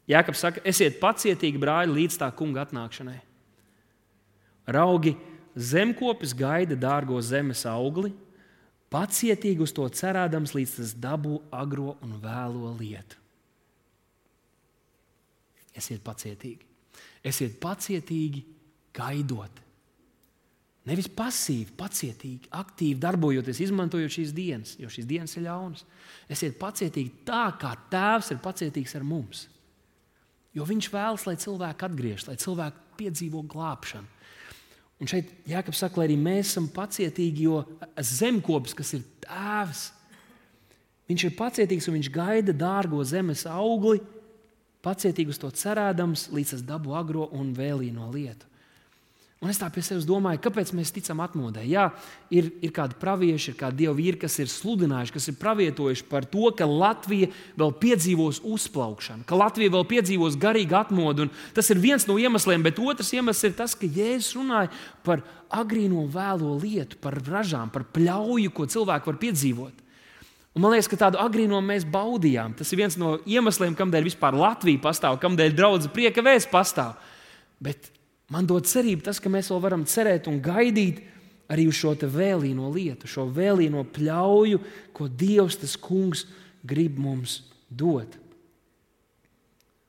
Jākabs saka, esiet pacietīgi, brāļi, līdz tā kunga atnākšanai. Raugi, zemkopis gaida dārgo zemes augli, pacietīgi uz to cerēdams, līdz tas dabū agro un vēlo lietu. Esiet pacietīgi. Esiet pacietīgi gaidot. Nevis pasīvi, pacietīgi, aktīvi darbojoties, izmantojot šīs dienas, jo šīs dienas ir ļaunas. Esiet pacietīgi tā, kā Tēvs ir pacietīgs ar mums. Jo viņš vēlas, lai cilvēki atgriežas, lai cilvēki piedzīvo glābšanu. Un šeit Jākabs saka, lai arī mēs esam pacietīgi, jo zemkopis, kas ir Tēvs, viņš ir pacietīgs un viņš gaida dārgo zemes augli, pacietīgi uz to cerēdams, līdz tas dabū agro un vēlīno lietu. Un es tā pie sevis domāju, kāpēc mēs ticam atmodai? Jā, ir kādi pravieši, ir kādi dievu vīri, kas ir sludinājuši, kas ir pravietojuši par to, ka Latvija vēl piedzīvos uzplaukšanu, ka Latvija vēl piedzīvos garīgu atmodu. Un tas ir viens no iemesliem, bet otrs iemesls ir tas, ka Jēzus runāja par agrīno vēlo lietu, par ražām, par pļauju, ko cilvēki var piedzīvot. Un man liekas, ka tādu agrīnumu mēs baudījām. Tas ir viens no iemesliem, kādēļ vispār Latvija pastāv, kādēļ Draudze Prieka Vēsts pastāv. Bet man dod cerību tas, ka mēs vēl varam cerēt un gaidīt arī uz šo vēlīno lietu, šo vēlīno pļauju, ko Dievs, tas Kungs, grib mums dot.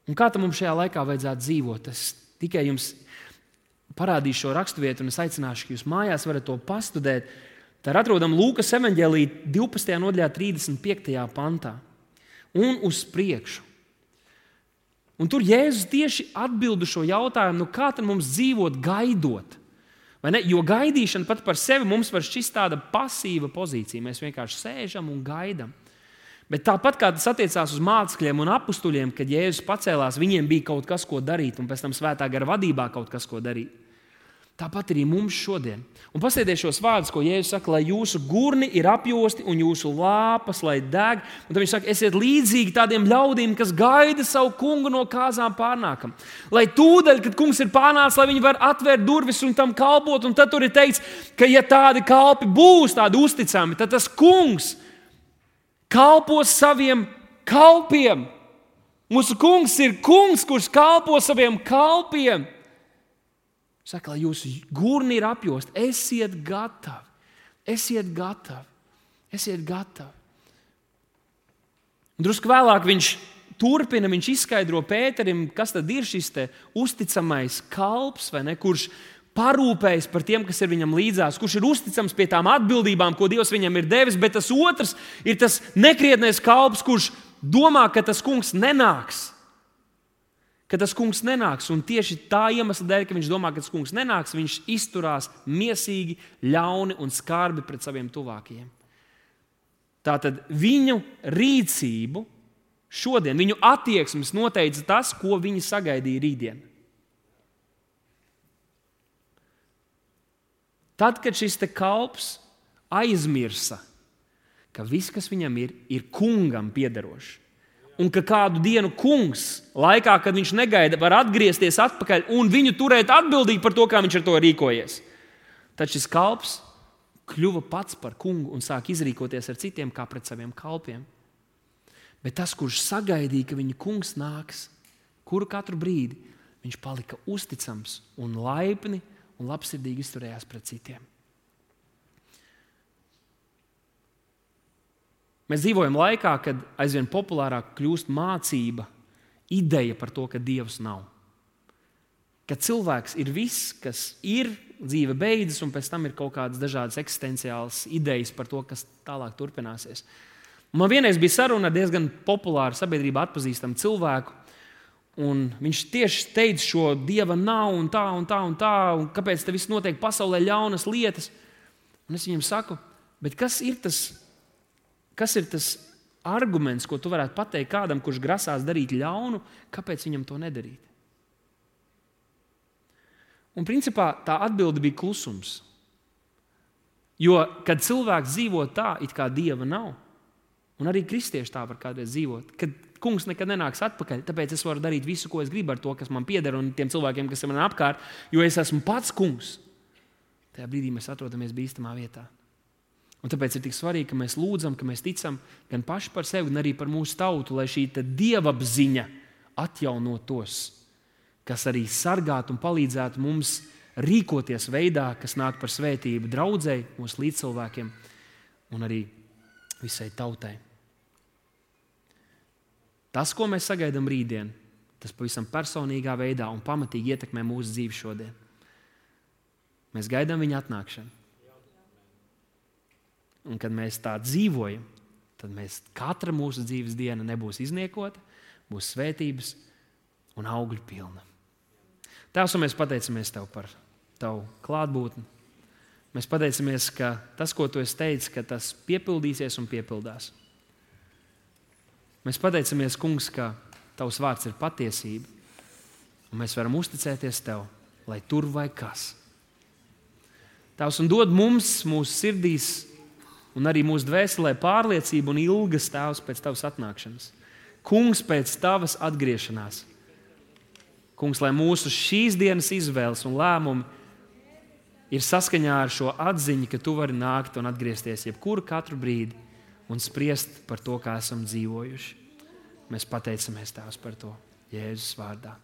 Un kā tam mums šajā laikā vajadzētu dzīvot? Es tikai jums parādīšu šo raksturvietu, un es aicināšu, ka jūs mājās varat to pastudēt. Tā ir atrodama Lūkas evaņģēlijā 12. nodaļā 35. pantā. Un uz priekšu. Un tur Jēzus tieši atbild uz šo jautājumu, kā tad mums dzīvot gaidot? Vai ne? Jo gaidīšana pat par sevi mums var šķist tāda pasīva pozīcija. Mēs vienkārši sēžam un gaidām. Bet tāpat kā tas attiecās uz mācekļiem un apustuļiem, kad Jēzus pacēlās, viņiem bija kaut kas, ko darīt, un pēc tam svētā gara vadībā kaut kas, ko darīt. Tāpat arī mums šodien. Un paskatieties šos vārdus, ko Jēzus saka, lai jūsu gurni ir apjosti un jūsu lāpas, lai deg. Un tad viņš saka, esiet līdzīgi tādiem ļaudīm, kas gaida savu kungu no kāzām pārnākam. Lai tūdaļ, kad kungs ir pārnācis, lai viņi var atvērt durvis un tam kalpot. Un tad tur ir teikts, ka ja tādi kalpi būs, tādi uzticami, tad tas kungs kalpos saviem kalpiem. Mūsu kungs ir kungs, kurš kalpo saviem kalpiem. Saka, lai jūsu gurni ir apjosti, esiet gatavi. Esiet gatavi. Esiet gatavi. Un drusku vēlāk viņš turpina, viņš izskaidro Pēterim, kas tad ir šis te uzticamais kalps, vai ne, kurš parūpējas par tiem, kas ir viņam līdzās, kurš ir uzticams pie tām atbildībām, ko Dievs viņam ir devis, bet tas otrs ir tas nekrietnais kalps, kurš domā, ka tas kungs nenāks. Ka tas kungs nenāks, un tieši tā iemesla dēļ, ka viņš domā, ka tas kungs nenāks, viņš izturās miesīgi, ļauni un skarbi pret saviem tuvākajiem. Tātad viņu rīcību šodien, viņu attieksmes noteica tas, ko viņi sagaidīja rītdien. Tad, kad šis te kalps aizmirsa, ka viss, kas viņam ir kungam piederošs, un ka kādu dienu kungs, laikā, kad viņš negaida, var atgriezties atpakaļ un viņu turēt atbildīgi par to, kā viņš ar to rīkojies. Tad šis kalps kļuva pats par kungu un sāk izrīkoties ar citiem kā pret saviem kalpiem. Bet tas, kurš sagaidīja, ka viņa kungs nāks, kuru katru brīdi, viņš palika uzticams un laipni un labsirdīgi izturējās pret citiem. Mēs dzīvojam laikā, kad aizvien populārāk kļūst mācība, ideja par to, ka Dievs nav. Ka cilvēks ir viss, kas ir, dzīve beidzas, un pēc tam ir kaut kādas dažādas eksistenciālas idejas par to, kas tālāk turpināsies. Man vienreiz bija saruna ar diezgan populāru sabiedrībā atpazīstamu cilvēku, un viņš tieši teica šo Dieva nav un tā, un kāpēc te viss notiek pasaulē ļaunas lietas. Un es viņam saku, bet kas ir tas arguments, ko tu varētu pateikt kādam, kurš grasās darīt ļaunu, kāpēc viņam to nedarīt? Un principā tā atbilde bija klusums. Jo, kad cilvēks dzīvo tā, it kā Dieva nav, un arī kristieši tā var kādreiz dzīvot, kad kungs nekad nenāks atpakaļ, tāpēc es varu darīt visu, ko es gribu ar to, kas man pieder, un tiem cilvēkiem, kas ir man apkārt, jo es esmu pats kungs. Tajā brīdī mēs atrodamies bīstamā vietā. Un tāpēc ir tik svarīgi, ka mēs lūdzam, ka mēs ticam gan paši par sevi, gan arī par mūsu tautu, lai šī dievapziņa atjaunotos, kas arī sargātu un palīdzētu mums rīkoties veidā, kas nāk par svētību draudzei, mūsu līdzcilvēkiem un arī visai tautai. Tas, ko mēs sagaidām rītdien, tas pavisam personīgā veidā un pamatīgi ietekmē mūsu dzīvi šodien. Mēs gaidām viņa atnākšanu. Un kad mēs tā dzīvojam, tad katra mūsu dzīves diena nebūs izniekota, būs svētības un augļu pilna. Tēvs, mēs pateicamies Tev par Tavu klātbūtni. Mēs pateicamies, ka tas, ko Tu esi teicis, ka tas piepildīsies un piepildās. Mēs pateicamies, Kungs, ka Tavs vārds ir patiesība, un mēs varam uzticēties Tev, lai tur vai kas. Tēvs, un dod mums, mūsu sirdīs, un arī mūsu dvēselē pārliecību un ilgas, Tēvs, pēc Tavas atnākšanas. Kungs, pēc Tavas atgriešanās. Kungs, lai mūsu šīs dienas izvēles un lēmumi ir saskaņā ar šo atziņu, ka Tu vari nākt un atgriezties jebkuru katru brīdi un spriest par to, kā esam dzīvojuši. Mēs pateicamies Tēvs par to Jēzus vārdā.